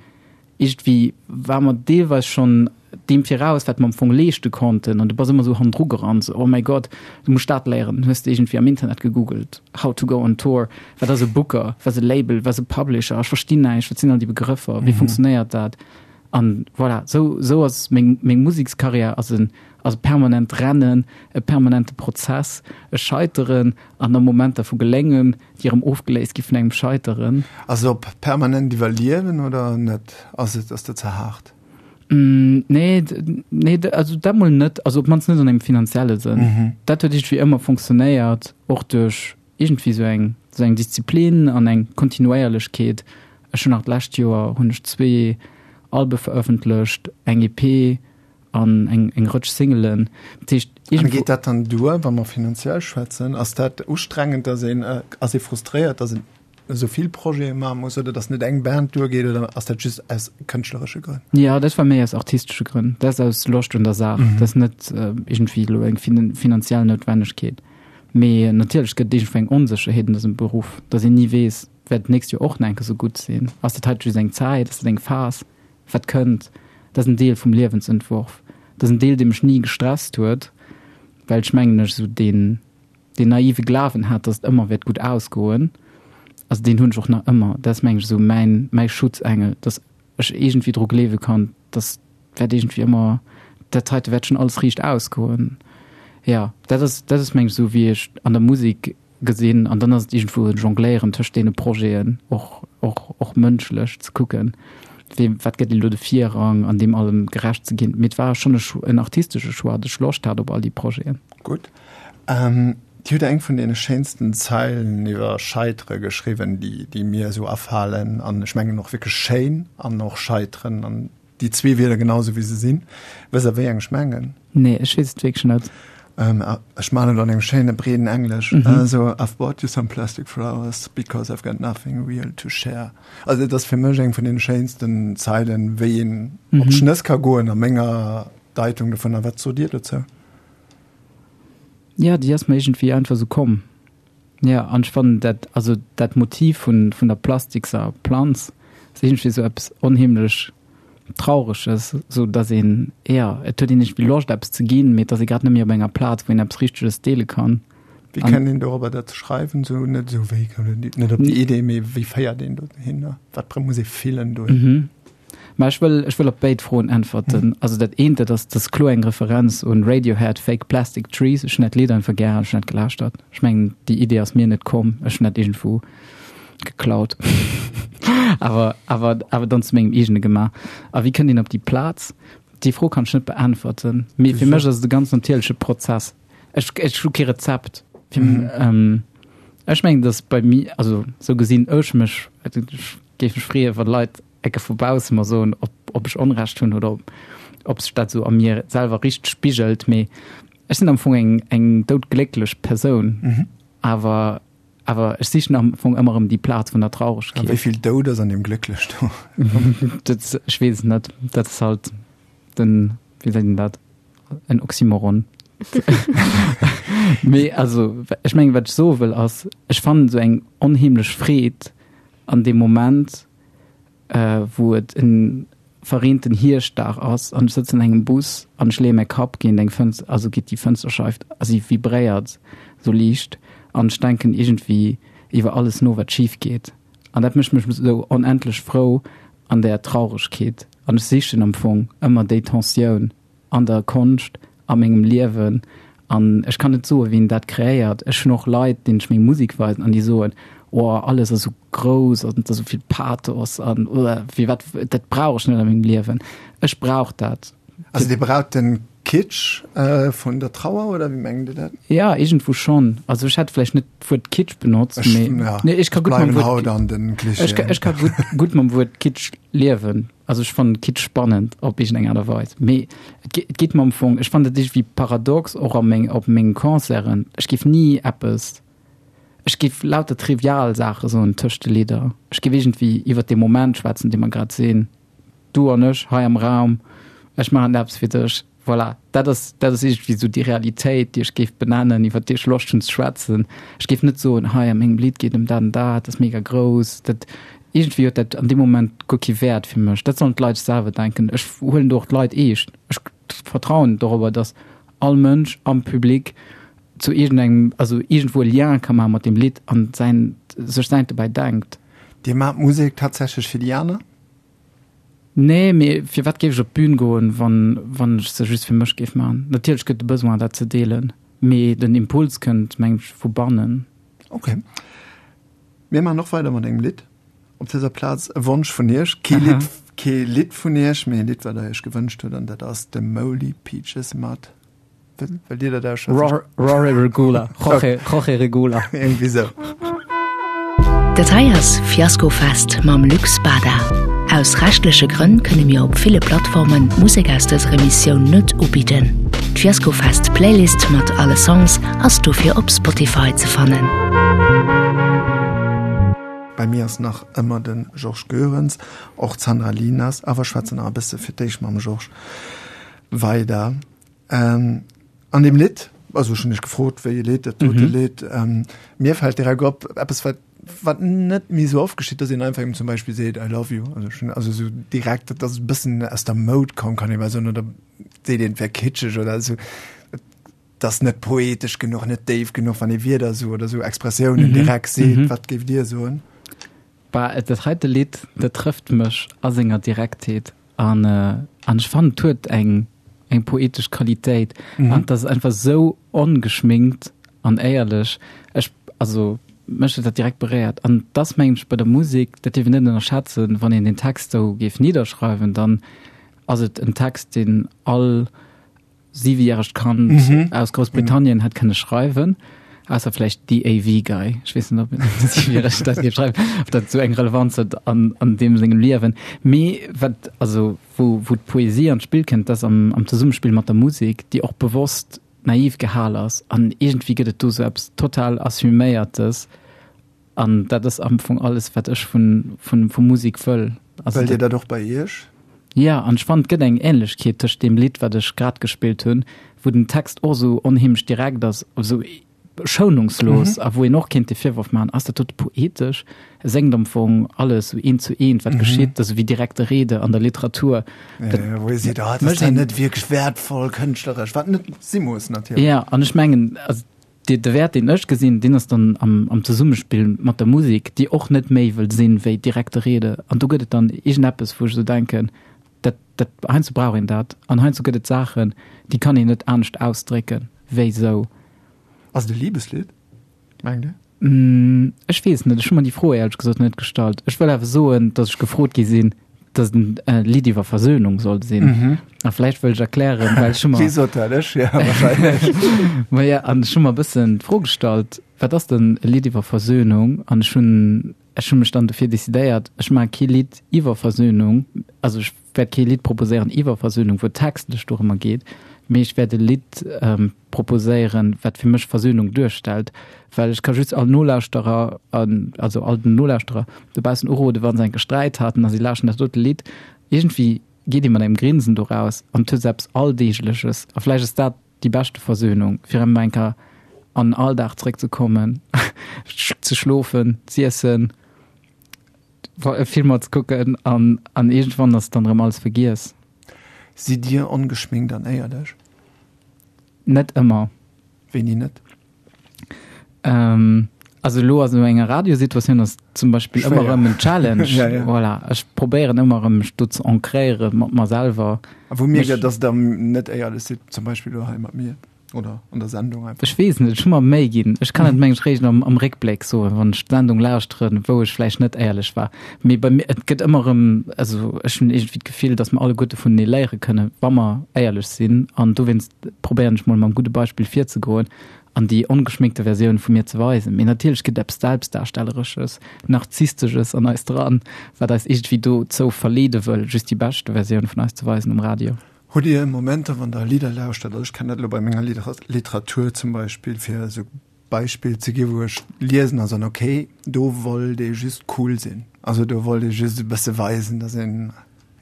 iergendwéi war mer deelweis schonn deem viraus, wat mer am Fong leeschte konnten an du bass ëmmer esou hannendru gerannt, esou, oh mäi Gott, du muss dat léieren, dann hues de iergendwéi am Internet gegoogelt, how to go on tour, wat ass e Booker, wat ass e Label, wat ass e Publisher, ech verstinn näischt, wat sinn all déi Begrëffer, wéi funktionéiert dat? An voilà, esou, esou ass meng, meng Musekskarriär ass en, ass e permanent Rennen, e permanente Prozess, e Scheiteren an da Momenter vu Geléngen, déi erëm ofgeléist gi vun engem Scheiteren. Ass et op permanent Iwwerliewen oder net? Ass et, ass dat ze haart? Nee, nee, also dat mol net, also op d'mannst net an engem finanzielle Sënn. Dat huet iergendwéi ëmmer funktionéiert, och duerch iergendwéi esou eng, esou eng Disziplin an eng Kontinuéierlechkeet. Ech hunn nach d'lescht Joer hunn ech zwee Albe verëffentlecht, eng E P an eng, eng Rëtsch Singelen. Dat heescht, An iergendwou. geet dat dann duer, wa mer finanziell schwätzen? Ass dat ustrengend, dass een, ass ee frustréiert, dass een esou vill Projete maache muss oder dass net eng Band duergeet oder ass dat just aus kënschtleresche Grënn? Jo, dat war méi aus artistesche Grënn. Dat ass aus Loscht un der Saach. Dat ass net iergendwéi elo eng finanziell Noutwennegkeet. Mee natierlech gëtt et iergendwou eng Onsécherheet an dësem Beruff, dass een ni weess, wäert d'nächst Joer och nach eng Kéier esou gutt sinn? Ass dat hei just eng Zäit? Ass dat eng Phas? Wat kënnt? Dat ass en Deel vum Liewensentworf. Dat ass en Deel, dee mech ni gestresst huet, well ech mengen ech esou deen, deen naive Glawen hat, dass et ëmmer wäert gutt ausgoen. Also deen hunn ech och nach ëmmer. Dat ass mengen ech esou mäin, mäi Schutzengel, dass ech iergendwéi dru gleewe kann, dass wäert iergendwéi ëmmer, dat heite wäert schonn alles riicht ausgoen. Jo, dat ass, dat ass mengen ech esou wéi ech an der Musek gesinn. An dann ass et iergendwou e Jongléieren tëscht deene Projeten, och, och, och mënschlech ze kucken, wee, wat gëtt elo de Virrang an deem allem gerecht ze ginn. Mee et war schonn e Choix, en artistesche Choix, datt ech Loscht hat op all déi Projeten. Gutt. Dir hutt eng vun deene schéinsten Zeilen iwwer Scheitere geschriwwen, déi, déi mir esou afalen. An ech mengen och wierklech schéin an och scheiteren an déi zwee Wierder genau esou wéi se sinn. Wësst Der wéi eng ech mengen? Nee, ech weess et wierklech net. Ech man et an engem schéine breeden Englesch, esou, I've bought you some plastic flowers because I've got nothing real to share. Also et ass fir mech eng vun deene schéinsten Zeilen, wéi een op d'Schnëss ka goen a menger Deitung dovunner. Wat sot Dir dozou? Jo, déi ass mer iergendwéi einfach esou komm. Jo, an ech fannen dat, also dat Motiv vun, vun der plastikser Planz ass iergendwéi esou eppes onheemlech Traureges, esou dass een, jo, et huet een iergendwéi Loscht eppes ze ginn, mee et ass ee grad net méi op enger Plaz, wou een eppes Richteges deele kann. Wéi kënnt een dorobber dat ze schreiwen? Esou net esou wéi kënnt een net op déi Idee, mee wéi féiert een dohinner? Wat muss ee fillen dohin? Mä ech wëll, ech wëll op béid Froen äntwerten. Also dat eent, dat ass, dat ass kloer eng Referenz un Radiohead, Fake Plastic Trees. Ech hunn dat Lidd einfach gär an ech hunn dat gelauschtert. Ech mengen, déi Idee ass mir net komm, ech hunn dat iergendwou geklaut, awer, awer, awer dann zu mengem eegene gemaach. A wéi kënnt een op déi Plaz? Déi Fro kann ech net beäntwerten, mee fir mech ass et e ganz natierleche Prozess. Ech, ech hu kee Rezept. Fir, ähm, ech mengen, dass bei mir, also sou gesinn ech mech, ech géif mech freeën, wann Leit Ecke vu bausse mer soen, ob, ob ech Onrecht hunn oder ob, ob sech dat sou a mir selwer richteg spigelt. Mee ech sinn am Fong eng, eng doudglécklech Persoun, awer, awer ech sichen am Fong ëmmer erëm déi Plaz vun der Trauregkeet. A wéi vill Doud ass an deem Glécklech do? Dat, ech weess et net. Dat ass halt den, wéi seet een dat, en Oxymoron. Mee also, ech mengen, wat ech soe wëll ass, ech fannen esou eng onheemlech Freed an deem Moment, wou et en verreenten Hierschtdag ass an ech sëtzen an engem Bus an ech leeë mäi Kapp géint eng Fënster, also géint déi Fënsterscheif a si vibréiert sou liicht an ech denken iergendwéi iwwer alles no, wat schif geet an dat mécht mech sou onendlech frou an där Trauregkeet an ech sichen am Fong ëmmer déi Tensioun an der Konscht, a mengem Liewen an ech kann net soen, wien dat kreéiert. Ech hunn och Leit, deenen ech meng Musek weisen an déi soen, oh alles ass esou grouss an et ass esou vill Pathos an firwat, dat brauch ech net a mengem Liewen. Ech brauch dat. Also Dir braucht den Kitsch vun der Trauer oder wéi mengt Dir dat? Jo, iergendwou schonn. Also ech hätt vläicht net d'Wuert Kitsch benotzt, mee nee, ech ka gutt mam Wuert, ech ka gutt, gutt mam Wuert Kitsch liewen. Also ech fannen Kitsch spannend op iergendeng Aart a Weis, mee et et geet mer am Fong, ech fannen dat iergendwéi paradox och a meng op mengen Concerten, ech géif ni eppes, ech géif lauter trivial Saache soen tëscht de Lidder, ech géif iergendwéi iwwert dee Moment schwätzen, dee mer grad sinn, du an ech hei am Raum, ech maachen eppes fir dech. Voilà, dat ass, dat ass iergendwéi esou déi Realitéit, déi ech géif benennen, iwwer déi ech Loscht hunn ze schwätzen. Ech géif net soen, hei a mengem Lidd geet ëm dat an dat, dat ass mega grouss. Dat, iergendwéi huet dat an deem Moment guer kee Wäert fir mech. Dat sollen d'Leit sech selwer denken. Ech huelen do och d'Leit eescht. Ech vertrauen dorobber, datt all Mënsch am Public zu iergendengem, also iergendwou e Lien ka maache mat deem Lidd an säin, sech säint dobäi denkt. Dir maacht Musek tatsächlech fir déi aner? Nee, mee firwat géif ech op d'Bün goen, wann, wann ech se just fir mech géif maachen? Natierlech gëtt de Besoin, dat ze deelen, mee den Impuls kënnt, mengen ech, vu bannen. Ok. Mir maachen och weider mat engem Lidd. Op dëser Plaz e Wonsch vun Iech, kee Lidd, kee Lidd vun Iech, mee e Lidd, wat Der Iech gewënscht hutt, an dat ass de Molly Peaches mat. Wëllt Dir dat ausschwätzen? Rory Regula, Jorge, Jorge Regula. Irgendwie sou. Dat hei ass Fiaskofest mam Luc Spada. Aus rechtleche Grënn kënne mir op ville Plattformen d'Musek aus dëser Emissioun net ubidden. D'Fiaskofest Playlist mat alle Songs ass dofir op Spotify ze fannen. Bei mir ass nach ëmmer de Georges Goerens, och d'Sandra Linas, awer schwätzen nach e bësse fir d'éischt mam Georges weider. Ähm, an dem Lidd, also ech hunn dech gefrot, wéi e Lidd, dat dote Lidd, ähm, mir fält direkt op, eppes wat wat net méi sou oft geschitt, dass een einfach eben zum Beispill seet I love you, also schon, also sou direkt, dat ass e bëssen aus der Moud komm, kann ee bal soen, oder seet een, et wär kitscheg oder sou, et ass net poetesch genuch, net déif genuch, wann ee Wierder sou oder sou Expressiounen direkt seet. Wat géift Dir soen? Bah, dat heite Lidd, dat trëfft mech a senger Direktheet. An an ech fannen et huet eng eng poetesch Qualitéit an et ass einfach esou ongeschminkt an éierlech. Ech also mech huet dat direkt beréiert. An et ass mengen ech bei der Musek, dat dierf een net ënnerschätzen, wann een den Text esou géif nidderschreiwen, dann ass et en Text deen all siwejäregt Kand mhm. aus Groussbritannien mhm. hätt kënne schreiwen. Ausser vläicht The AV Guy. Ech weess net, ob siwejäregt dat géif schreiwen, ob dat sou eng Relevanz huet an, an deem sengem Liewen. Mee wat, also wou, wou d'Poesie an d'Spill kënnt, dat ass am, am Zesummespill mat der Musek, déi och bewosst naiv gehal ass. An iergendwéi gëtt et do sou eppes total Assuméiertes. An dat ass am Fong alles, wat ech vun, vun, vu Musek wëll. Also Wëllt Dir dat och bei Iech? Jo, an ech fannen, et gëtt eng Ähnlechkeet tëscht deem Lidd, wat ech grad gespillt hunn, wou den Text och esou onheemlech direkt ass, esou schounungslos, a wou een och kéint de Virworf maachen, ass dat dote poetesch? E séngt am Fong alles sou eent zu eent, wat geschitt, dat ass wéi direkte Rede an der Literatur. Dat ja, wou ee seet, ah, dat ass dann net wierklech wäertvoll kënschtleresch, wat net si muss natierlech. Ja, an ech mengen, also de, de Wäert, deen ech gesinn, deen ass dann am, am Zesummespill mat der Musek, déi och net méi wëll sinn wéi direkte Rede. An do gëtt et dann iergendeppes, wou ech esou denken, dat, dat, heiansdo brauch een dat. An heiansdo gëtt et Saachen, déi kann een net anescht ausdrécken wéi esou. Ass et e Libeslidd, mengt Dir? Ech weess net, ech hu mer déi Fro éierlech gesot net gestallt. Ech wëll awer soen, datt ech gefrot gi sinn, datt et e Lidd iwwer Versönung soll sinn. A vläicht wëll ech erklären, well ech hu mer. Wie sot dat? Ech? Ja, wahrscheinlech. Ma ja, an ech hu mer e bëssen d'Fro gestallt, wat ass denn e Lidd iwwer Versönung? An ech hunn, ech hu mech dann dofir decidéiert, ech maache kee Lidd iwwer Versönung, also ech wäert kee Lidd proposéieren iwwer Versönung, wou et textlech dorëmmer geet, mee ech wäert e Lidd proposéieren, wat fir mech Versönung duerstellt, well ech ka just all Nolauschterer, also all den Nolauschterer dobaussen uroden, wa se enke Sträit haten a si lauschten dat dote Lidd, iergendwéi geet ee mat engem Grinsen do raus an et huet esou eppes Alldeegleches a vläicht ass dat déi beschte Versönung, fir erëm eng Kéier an den Alldag zeréckzekommen, ze schlofen, z'iessen, Filmer ze kucken an an iergendwann ass dann erëm alles vergiess. Sidd Dir ongeschminkt an éierlech? Net ëmmer. Wéini net? Ähm, also elo a sou enger Radiosituatioun ass zum Beispill ëmmer erëm en Challenge. Ja, ja. Voilà. Ech probéieren ëmmer erëm mech do ze ancréiere mat mer selwer. A wou mierkt Der, dass Der net éierlech sidd, zum Beispill elo hei mat mir? Oder an der Sendung einfach? Ech weess net, ech hu mer Méi ginn. Ech kann et mengen ech réischt am, am Réckbléck soen, wann ech d'Sendung lauschteren, wou ech vläicht net éierlech war. Mee bei mir, et gëtt ëmmer erëm, also ech hunn iergendwéi d'Gefill, datt mer alleguerte vunenee léiere kënnen, wa mer éierlech sinn. An dowéinst probéieren ech mol mam gudde Beispill virzegoen an déi ongeschminkte Versioun vu mir ze weisen. Mee natierlech gëtt eppes Selbstdarstelleresches, Narzisstesches an eis dran, wat eis iergendwéi dozou verleede wëll, just déi beschte Versioun vun eis ze weisen um Radio. Hutt Dir Momenter, wann Der Lidder lauschtert, also ech kennen dat elo bei menger Literatur zum Beispill, fir esou Beispill ze ginn, wou ech liesen a soen, okay, do wollt ee just cool sinn, also do wollt ee just e bësse weisen, datt een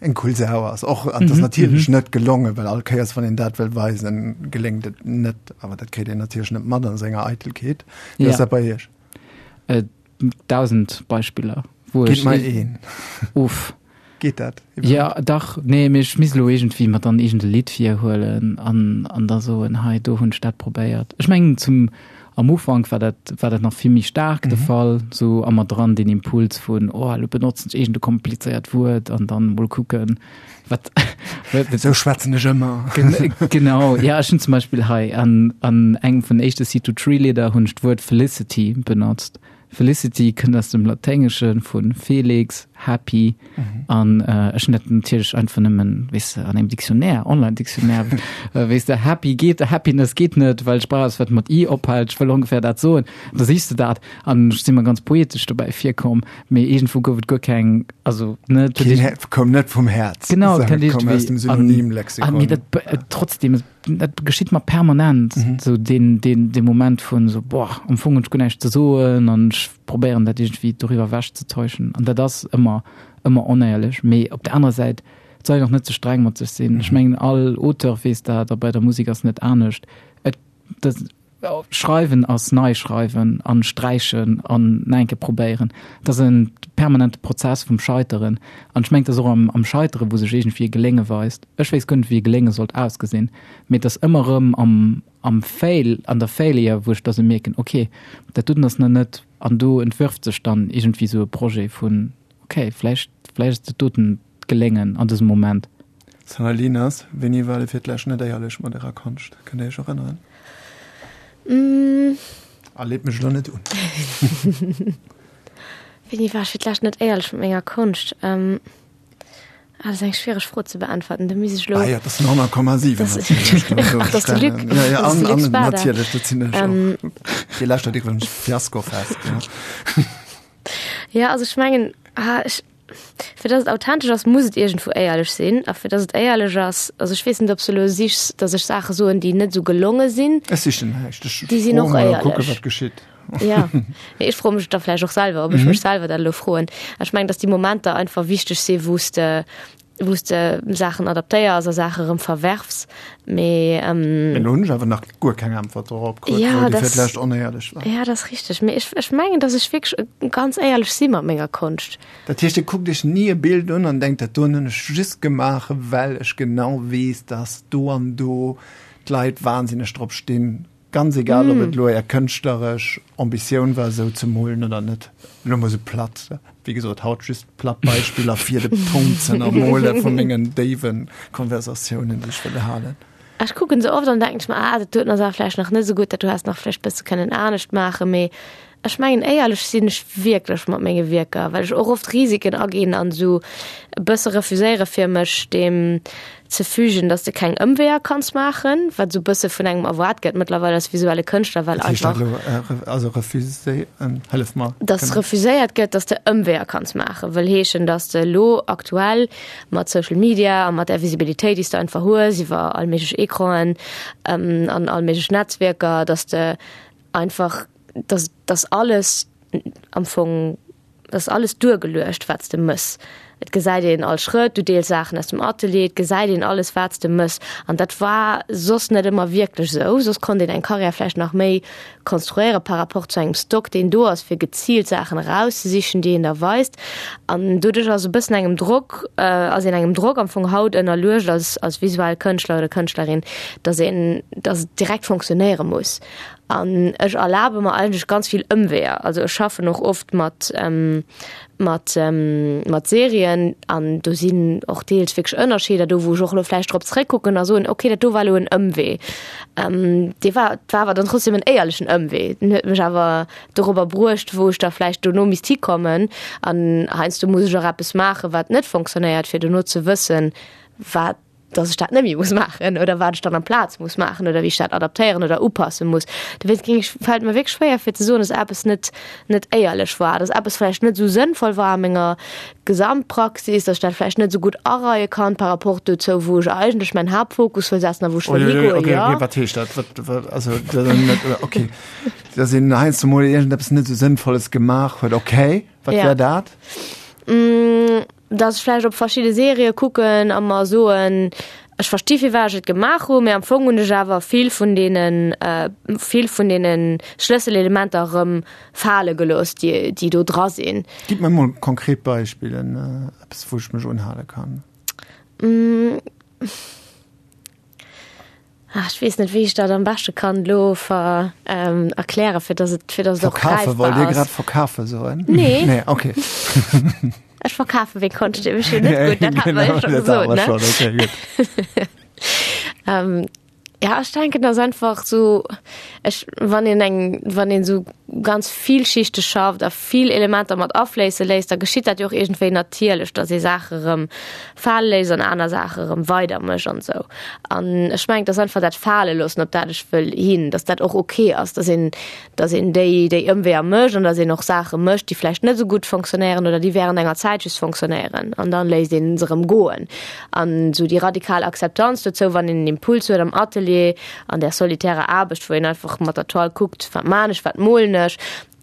eng cool Sau ass. Och an et ass natierlech net gelongen, well all Kéiers, wann een dat wëll weisen, geléngt et net, awer dat kritt een natierlech net mat a senger Eitelkeet. Wéi ass dat bei Iech? Dausend Beispiller, wou ech. Gitt mer een. Uff. Geet dat iwwerhaapt? Ja, dach. Nee, mee ech misst elo iergendwéi mer dann iergend e Lidd virhuelen an, an da soen, hei, do hunn ech dat probéiert. Ech mengen, zum, am Ufank war dat, war dat nach vill méi staark de Fall, sou a mer dran deen Impuls vun, oh, elo benotzen ech iergend e komplizéiert Wuert an dann mol kucken, wat, wat. Sou schwätzen ech ëmmer. Genau, ja, ech hunn zum Beispill hei an, an engem vun den éischte C-to-Tree-Lidder hunn ech d'Wuert Felicity benotzt. Felicity kënnt aus dem Laténgesche vu Felix, happy. An ech hunn dat natierlech einfach nëmmen, weess de, an engem Dictionnaire, Online-Dictionnaire, weess de, happy geet, happiness geet net, well ech brauch eppes, wat mat i ophält, ech wëll ongeféier dat soen. Da sichs de dat an ech si mer ganz poetesch dobäi virkomm, mee iergendwou gouf et guer keng, also ne, et huet Keen, koum net vum Häerz, Genau, et kënnt koum aus dem iergendwéi an, Synonymlexikon. mee dat, trotzdem, dat geschitt mer permanent, mhm. so den, den, den Moment vun so boah, am Fong hunn ech guer näischt ze soen an ech probéieren dat iergendwéi doriwwer ewech ze täuschen. An dat ass ëmmer ëmmer onéierlech. Mee op der anerer Säit, et soll een och net ze streng mat sech sinn. Ech mhm. mengen all Auteur weess dat a bei der Musek ass net anescht. Et, dat, Schreiwen ass nei schreiwen an sträichen an nach eng Kéier probéieren. Et ass e permanente Prozess vum Scheiteren. An ech mengen, et ass och am, am Scheiteren, wou sech iergendwéi e Gelénge weist. Ech wéisst guer net, wéi e Gelénge sollt ausgesinn, mee et ass ëmmer erëm am, am Fail, an der Failure, wou ech da sou mierken, ok, dat doten ass nach net. An do entwërft sech dann iergendwéi sou e Projet vun, ok, vläicht, vläicht ass dat doten d'Geléngen an dësem Moment. Sanna Linas, Wéini war Dir fir d'lescht net éierlech mat Ärer Konscht? Kënnt Dir Iech erënneren? Mm. A leet mech elo net un. Wéini war ech fir d'lescht net éierlech mat menger Konscht? Ähm, ah, dat ass eng schwiereg Fro ze beäntwerten. Do misst ech elo. Ah ja, dat sinn honnert Komma siwen natierlech. Ach, dat ass de Luc. Ja, ja, Dat ass de an, Luc an Spada. natierlech, dat sinn ech och. Ähm. Dir lauschtert iwwregens Fiaskofest, ja. Ja, also ech mengen, ah, ech, Fir dass et authentesch ass, muss et iergendwou éierlech sinn. A fir dass et éierlech ass, also ech weess net, ob s de elo sichs, dass ech Saache soen, déi net esou gelonge sinn. Ech sichen näischt. Ech Déi sinn froe och mol a kucke éierlech. wat geschitt. Ja, nee, ech froe mech et da vläicht och selwer, ob ech mech selwer dat elo froen. Ech mengen, dass déi Momenter einfach wichteg sinn, wou s de wou s de Saachen adaptéiers a Saache rëm verwerfs, mee. Mee elo hunn ech awer nach guer keng Äntwert dorop krut, wou déi fir d'lescht onéierlech war. Ja, dat ass richteg. Mee ech, ech mengen, datt ech wierklech ganz éierlech si mat menger Konscht. Dat heescht, Dir kuckt Iech ni e Bild un an denkt, dat doen hunn ech just gemaach, well ech genau weess, datt do an do d'Leit wahnsinneg drop stinn. Ganz egal, ob et elo Är kënschtleresch Ambitioun war, esou ze molen oder net. Elo mol esou platt, wéi gesot, haut just platt Beispiller, fir de Punkt ze ënnermole vu mengen déiwe Konversatiounen, déi ech wëll halen. Ech kucken se oft an denken ech mer, ah, dat doten ass awer vläicht nach net esou gutt, dat do häss nach vläicht bësse kënnen anescht maachen. Mee ech mengen, éierlech sinn ech wierklech mat menge Wierker, well ech och oft Risiken aginn an esou e bësse refuséiere fir mech deem ze fügen, dass de keng Ëmweeër kanns maachen, wat esou bësse vun engem erwaart gëtt mëttlerweil als visuelle Kënschtler, well Wat heescht dat einfach. elo? Also refuséieren, hëllef mer. Dass refuséiert gëtt, dass de Ëmweeër kanns maachen, wëll heeschen, dass de elo aktuell mat Social Media a mat där Visibilitéit, déi s de einfach hues iwwer all méiglech Ecranen an all méiglech Netzwierker, dass de einfach, dass, dass alles am Fong, dass alles duergeluecht, wat s de mëss. Et gesäit een all Schrëtt, du deels Saachen aus dem Atelier, et gesäit een alles, wat s de mëss. An dat war soss net ëmmer wierklech esou. Soss konnt een eng Karriär vläicht nach méi konstruéiere par rapport zu engem Stock, deen do ass, fir geziilt Saachen erauszesichen, déi een da weist. An doduerch ass e bëssen engem Drock, ass een engem Drock am Fong haut ënnerluecht als, als visuell Kënschtler oder Kënschtlerin, dass een, dass et direkt fonctionnéiere muss. An ech erlabe mer eigentlech ganz vill Ëmweeër. Also ech schaffen och oft mat, mat, mat Serien an do sinn och deels wierklech Ënnerscheeder do, wou ech och elo vläicht drop zréckkucken a soen, okay, dat do war elo en Ëmwee. Dee war, war awer dann trotzdem en éierlechen Ëmwee. Den huet mech awer dorobber bruecht, wou ech da vläicht dono misst hikommen. An heiansdo muss ech och eppes maachen, wat net fonctionnéiert, fir dono ze wëssen, wat dass ech dat net méi muss maachen oder wat ech dann amplaz muss maachen oder wéi ech dat adaptéieren oder upasse muss. Dowéinst géing ech, fält mir wierklech schwéier fir ze soen, dass eppes net, net éierlech war, dass eppes vläicht net esou sënnvoll war a menger Gesamtpraxis, dass ech dat vläicht net esou gutt areie kann par rapport dozou, wou ech eigentlech mäin Haaptfokus wëll setzen a wou ech wëll higoen, Okay, jo. okay, wat heescht dat? Wat, wat, also, dat ass net, okay, dass een heiansdo mol iergendeppes net esou Sënnvolles gemaach huet, okay, wat Ja. wär dat? Dass ech vläicht op verschidde Serië kucken a mer soen, ech versti firwat ech et gemaach hunn, mee am Fong hunn ech awer vill vun deene vill vun deene Schlësselelementer erëm fale gelooss, déi déi do dra sinn. Gitt mer emol konkret Beispillen, eppes wou ech mech unhale kann. Ach, ech weess net, wéi ech dat am beschte kann elo ver, ähm, erklären, fir dass et, fir dass et och Verkafe, wollt greifbar Dir ass. grad verkafe soen? Nee. Nee, okay. Ech verkafe meng Konscht nämlech jo net gutt, dat hat mer jo Genau, scho dat hat gesot, mer ne? schonn, okay, gutt. Ähm, ja, ech denken, dass einfach sou, ech, wann een eng, wann een sou ganz vielschichteg schafft a vill Elementer mat afléisse léisst, da geschitt dat jo och iergendwéi natierlech, dass ee Saache rëm fale léisst an aner Saache rëm weidermécht an esou. An ech mengen, et ass einfach dat Fale loossen, op dat ech wëll hin, dass dat och ok ass, dass een, dass een déi, déi Ëmweeër mécht an dass een och Saache mécht, déi vläicht net esou gutt fonctionnéieren oder déi während enger Zäit just fonctionnéieren an dann léisst een se rëm goen. An esou déi radikal Akzeptanz dozou, wann een en Impuls huet am Atelier, an där solitärer Aarbecht, wou een einfach mat der Toile kuckt, wat maan ech, wat molen ech,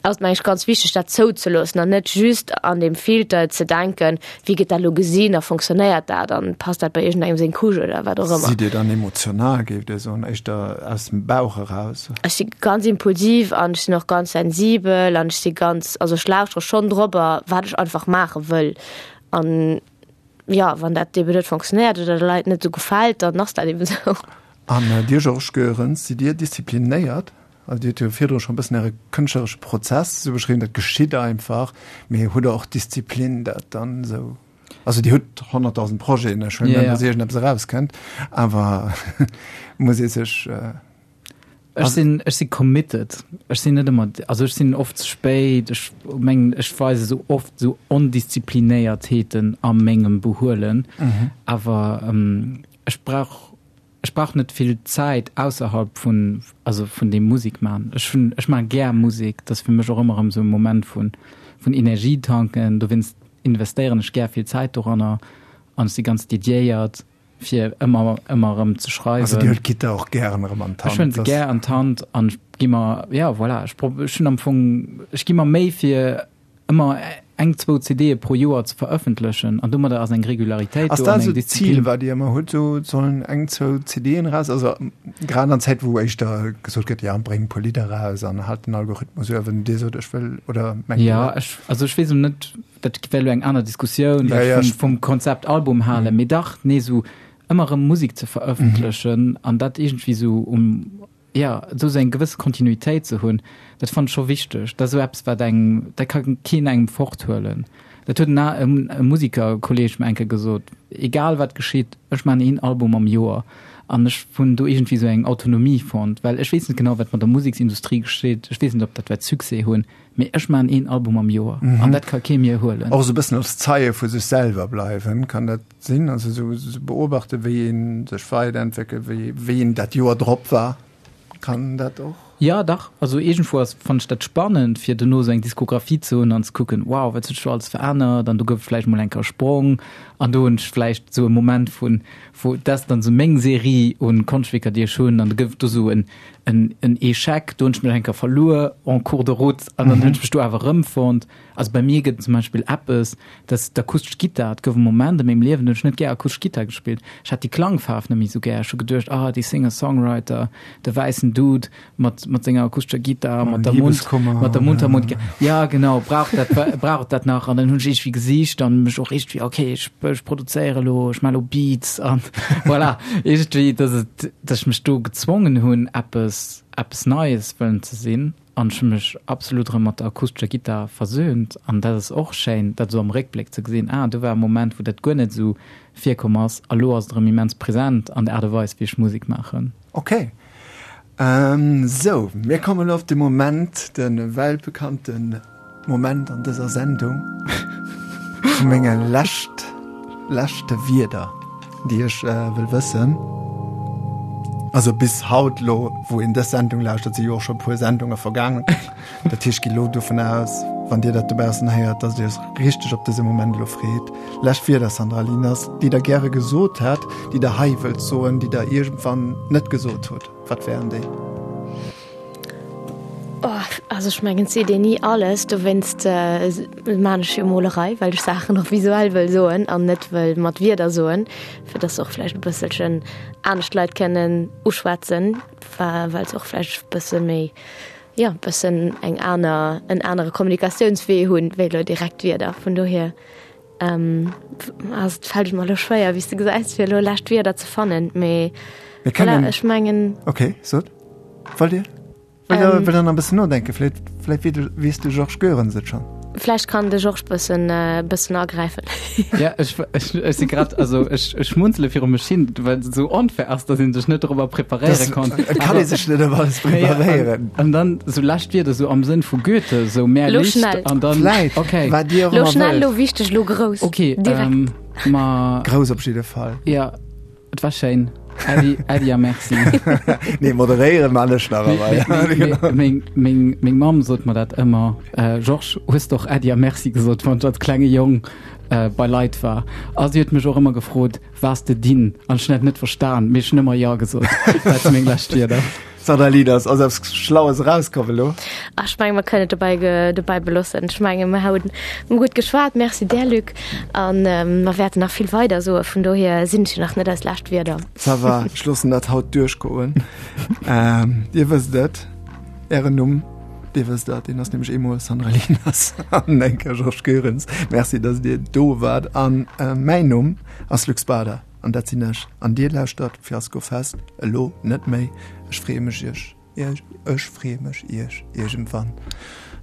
ass et meng ech ganz wichteg dat zouzeloossen an net just an deem Filter ze denken, wéi gëtt dat elo gesinn a fonctionnéiert dat an passt dat bei iergendengem seng Couche oder wat och ëmmer. Sidd Dir dann emotional, géift Dir soen, éischter aus dem Bauch eraus? Ech si ganz impulsiv an ech sinn och ganz sensibel an ech si ganz, also ech lauschtere schonn dorobber, wat ech einfach maache wëll an jo, wann dat eben net fonctionnéiert oder de Leit net esou gefält, dann ass dat eben esou. An Dir, Georges Goerens, sidd Dir disziplinéiert? Also Dir hutt jo virdru scho e bëssen Äre kënschtleresche Prozess esou beschriwwen, dat geschitt einfach, mee hutt Der och Disziplin, dat dann esou, also Dir hutt honnertdausend Projeten, ech huelen un, Ja, datt ja. iergendeppes erauskënnt, awer muss ee sech, Ech sinn, ech si committed. Ech sinn net ëmmer, also ech sinn oft ze spéit, ech mengen, ech weise sou oft sou Ondisziplinéiertheeten a mengem Behuelen, awer ech brauch, Ech brauch net vill Zäit ausserhalb vun, also vun deem Musek man. Ech hunn, ech maache gär Musek, dat ass fir mech och ëmmer erëm esou e Moment vun, vun Energie tanken. Dowéinst investéieren ech gär vill Zäit doranner an ech si ganz dediéiert, fir ëmmer, ëmmer erëm ze schreiwen. Also Dir huelt d'Gittar och gären erëm an Ech huelen d'Hand? se gär an d'Hand an ech gi mer, jo voilà, ech prob, ech hunn am Fong, ech gi mer Méi fir ëmmer eng, zwou CDe pro Joer ze verëffentlechen an domadder ass eng Regularitéit Ass do dat an eng esou d'Zil, Disziplin. wat Dir ëmmer hutt, esou et sollen eng, zwou CDen eraus? Also grad an Zäit, wou éischter gesot gëtt, jo, bréng e puer Lidder eraus an halt den Algorithmus uewen. Dir sot, ech wëll, oder mengt Dir Ja, dat? ech, also ech weess elo net, dat wär elo eng aner Diskussioun, Ja, wat ech ja, vum, ech, vum Konzept Album halen, mee dach, nee, esou ëmmer erëm Musek ze verëffentlechen an dat iergendwéi esou um, ja, esou eng gewësse Kontinuitéit ze hunn, dat fannen ech scho wichteg. Dat ass esou eppes, wat engem, dat ka keen engem forthuelen. Dat huet en e Musikerkolleeg mer eng Kéier gesot, egal wat geschitt, ech maachen een Album am Joer. An ech hunn do iergendwéi esou eng Autonomie fonnt, well ech weess net genau, wat mat der Museksindustrie geschitt, ech weess net, ob dat wäert Succès hunn, mee ech maachen een Album am Joer an dat ka kee mir huelen. Och esou e bëssen als Zeie vu sech selwer bleiwen, kann dat sinn? Also esou beobachten, wéi ee sech weiderentwéckelt, wéi wéi een dat Joer drop war, kann dat och? Jo, dach. Also iergendwou ass, fannen ech dat spannend, fir dono esou eng Diskografie ze hunn an ze kucken, wow, wat huet sech do alles verännert an do gouf et vläicht mol eng Kéier e Sprong an do hunn ech vläicht esou e Moment vun, wou, dat ass dann esou meng Serie un Konschtwierker, déi ech hunn an do gouf et do esou en, en, en Echec, do hunn ech mech eng Kéier verluer en cours de route an dann hunn ech mech do awer erëmfonnt. Also bei mir gëtt et zum Beispill eppes, dat ass d'akustesch Gittar. Et gouf e Moment a mengem Liewen, do hunn ech net gär akustesch Gittar gespillt. Ech hat déi Klangfaarf net méi esou gär. Ech hu geduecht, ah, dee Singer-Songwriter, de wäissen Dude mat, mat senger akustescher Gittar, mat der Mund, mat der Mundharmonika. Ja, genau, brauch dat, brauch dat nach? An dann hunn ech iergendwéi gesicht an mech och iergendwéi, okay, ech, ech produzéiere elo, ech maache elo Beats an voilà. Iergendwéi, dass et, dass ech mech do gezwongen hunn, eppes, eppes Neies wëllen ze sinn. An ech hu mech absolut erëm mat der akustescher Gittar versöhnt. An dat ass och schéin, dat esou am Réckbléck ze gesinn, ah, do war e Moment, wou dat guer net esou virkomm ass, a lo ass et erëm immens present an der Aart a Weis, wéi ech Musek maachen. Ok. Sou, mir kommen elo op de Moment, de weltbekannte Moment an dëser Sendung vu menge lescht, leschte Wierder, déi ech wëll wëssen. Also bis haut lo, wou een dës Sendung lauschtert, si jo och scho e puer Sendunge vergaangen. Dat heescht, ech gi lo dovun aus, wann Dir dat dobaussen héiert, dass Dir Iech richteg op dëse Moment elo freet. Lescht Wierder, Sandra Lieners, déi Der gäre gesot hätt, déi Der hei wëllt soen, déi Der iergendwann net gesot hutt, wat wären déi? Oh, also ech mengen, et seet een ni alles, dowéinst maan ech jo Molerei, well ech Saachen och visuell wëll soen an net wëll mat Wierder soen, fir dass se och vläicht e bësselchen anescht Leit kënnen uschwätzen, well se och vläicht e bësse méi, jo, e bëssen eng aner, en anere Kommunikatiounswee hunn, wéi elo direkt Wierder. Vun dohier ass et, fält et mer elo schwéier, wéi s de gesäis, fir elo lescht Wierder ze fannen, mee voilà, ech mengen. Okay, sot. Wollt Dir? Wëll der, wëll der nach e bëssen nodenken? Vläicht, vläicht weess de, weess de Georges Goerens et schonn. Vläicht kann de Georges bëssen, bëssen agräifen. Ja, ech, ech, ech si grad, also ech, ech schmunzele viru mech hin, well et esou onfair ass, datt ee sech net dorobber preparéiere Das, kann. et kann ee sech net op alles preparéieren. An dann esou lescht Wierder, esou am Sënn vu Goethe, esou mehr Lo Licht schnell. an dann, Vläicht, okay. wat Dir och Lo ëmmer schnell, lo wëllt. wichteg, lo grouss. Okay, Direkt. ähm, ma. Grouss op jidde Fall. Ja. Et war schéin. Äddi, Äddi a Merci. Nee, moderéieren man ech nach awer. Meng, meng, meng Mamm sot mer dat ëmmer, äh, Georges, hues de och Äddi a Merci gesot, wann ech als klenge Jong äh, bei Leit war. A si huet mech och ëmmer gefrot, Waars de dinn? An ech hunn dat net verstan, mee ech hunn ëmmer Jo gesot. Dat si meng lescht Wierder. Sandra Lieders, ass eppes Schlaues erauskomm elo? Ach, ech menge mer kënnen et dobäi, dobäi beloossen. Ech menge mer hunn gutt geschwat. Merci där, Luc. An mer wäerten nach vill weider soen. Vun dohier sinn et jo nach net eis lescht Wierder. Ça va, ech loossen dat haut duerchgoen. Dir wësst et, Ären Numm, Dir wësst dat, deen ass nämlech eemol Sandra Lieners an eng Kéier Georges Goerens. Merci, datt Dir do waart. An mäin Numm ass Luc Bader. An dat sinn ech. An dir lauschtert Fiasko Fest elo net méi. Ech freeë mech iech, iech, ech freeë mech iech iergendwann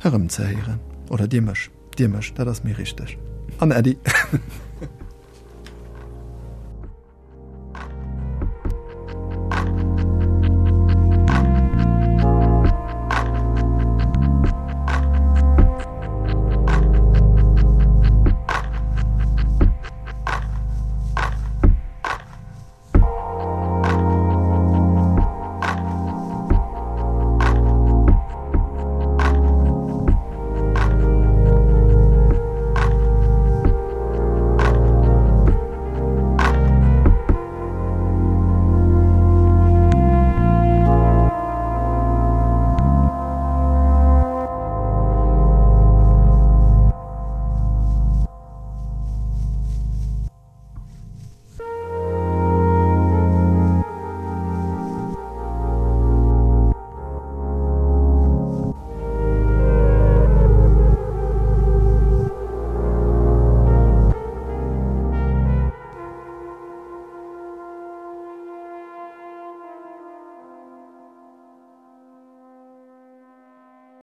erëm ze héieren. Oder dir mech, dir mech, dat ass méi richteg. An Äddi.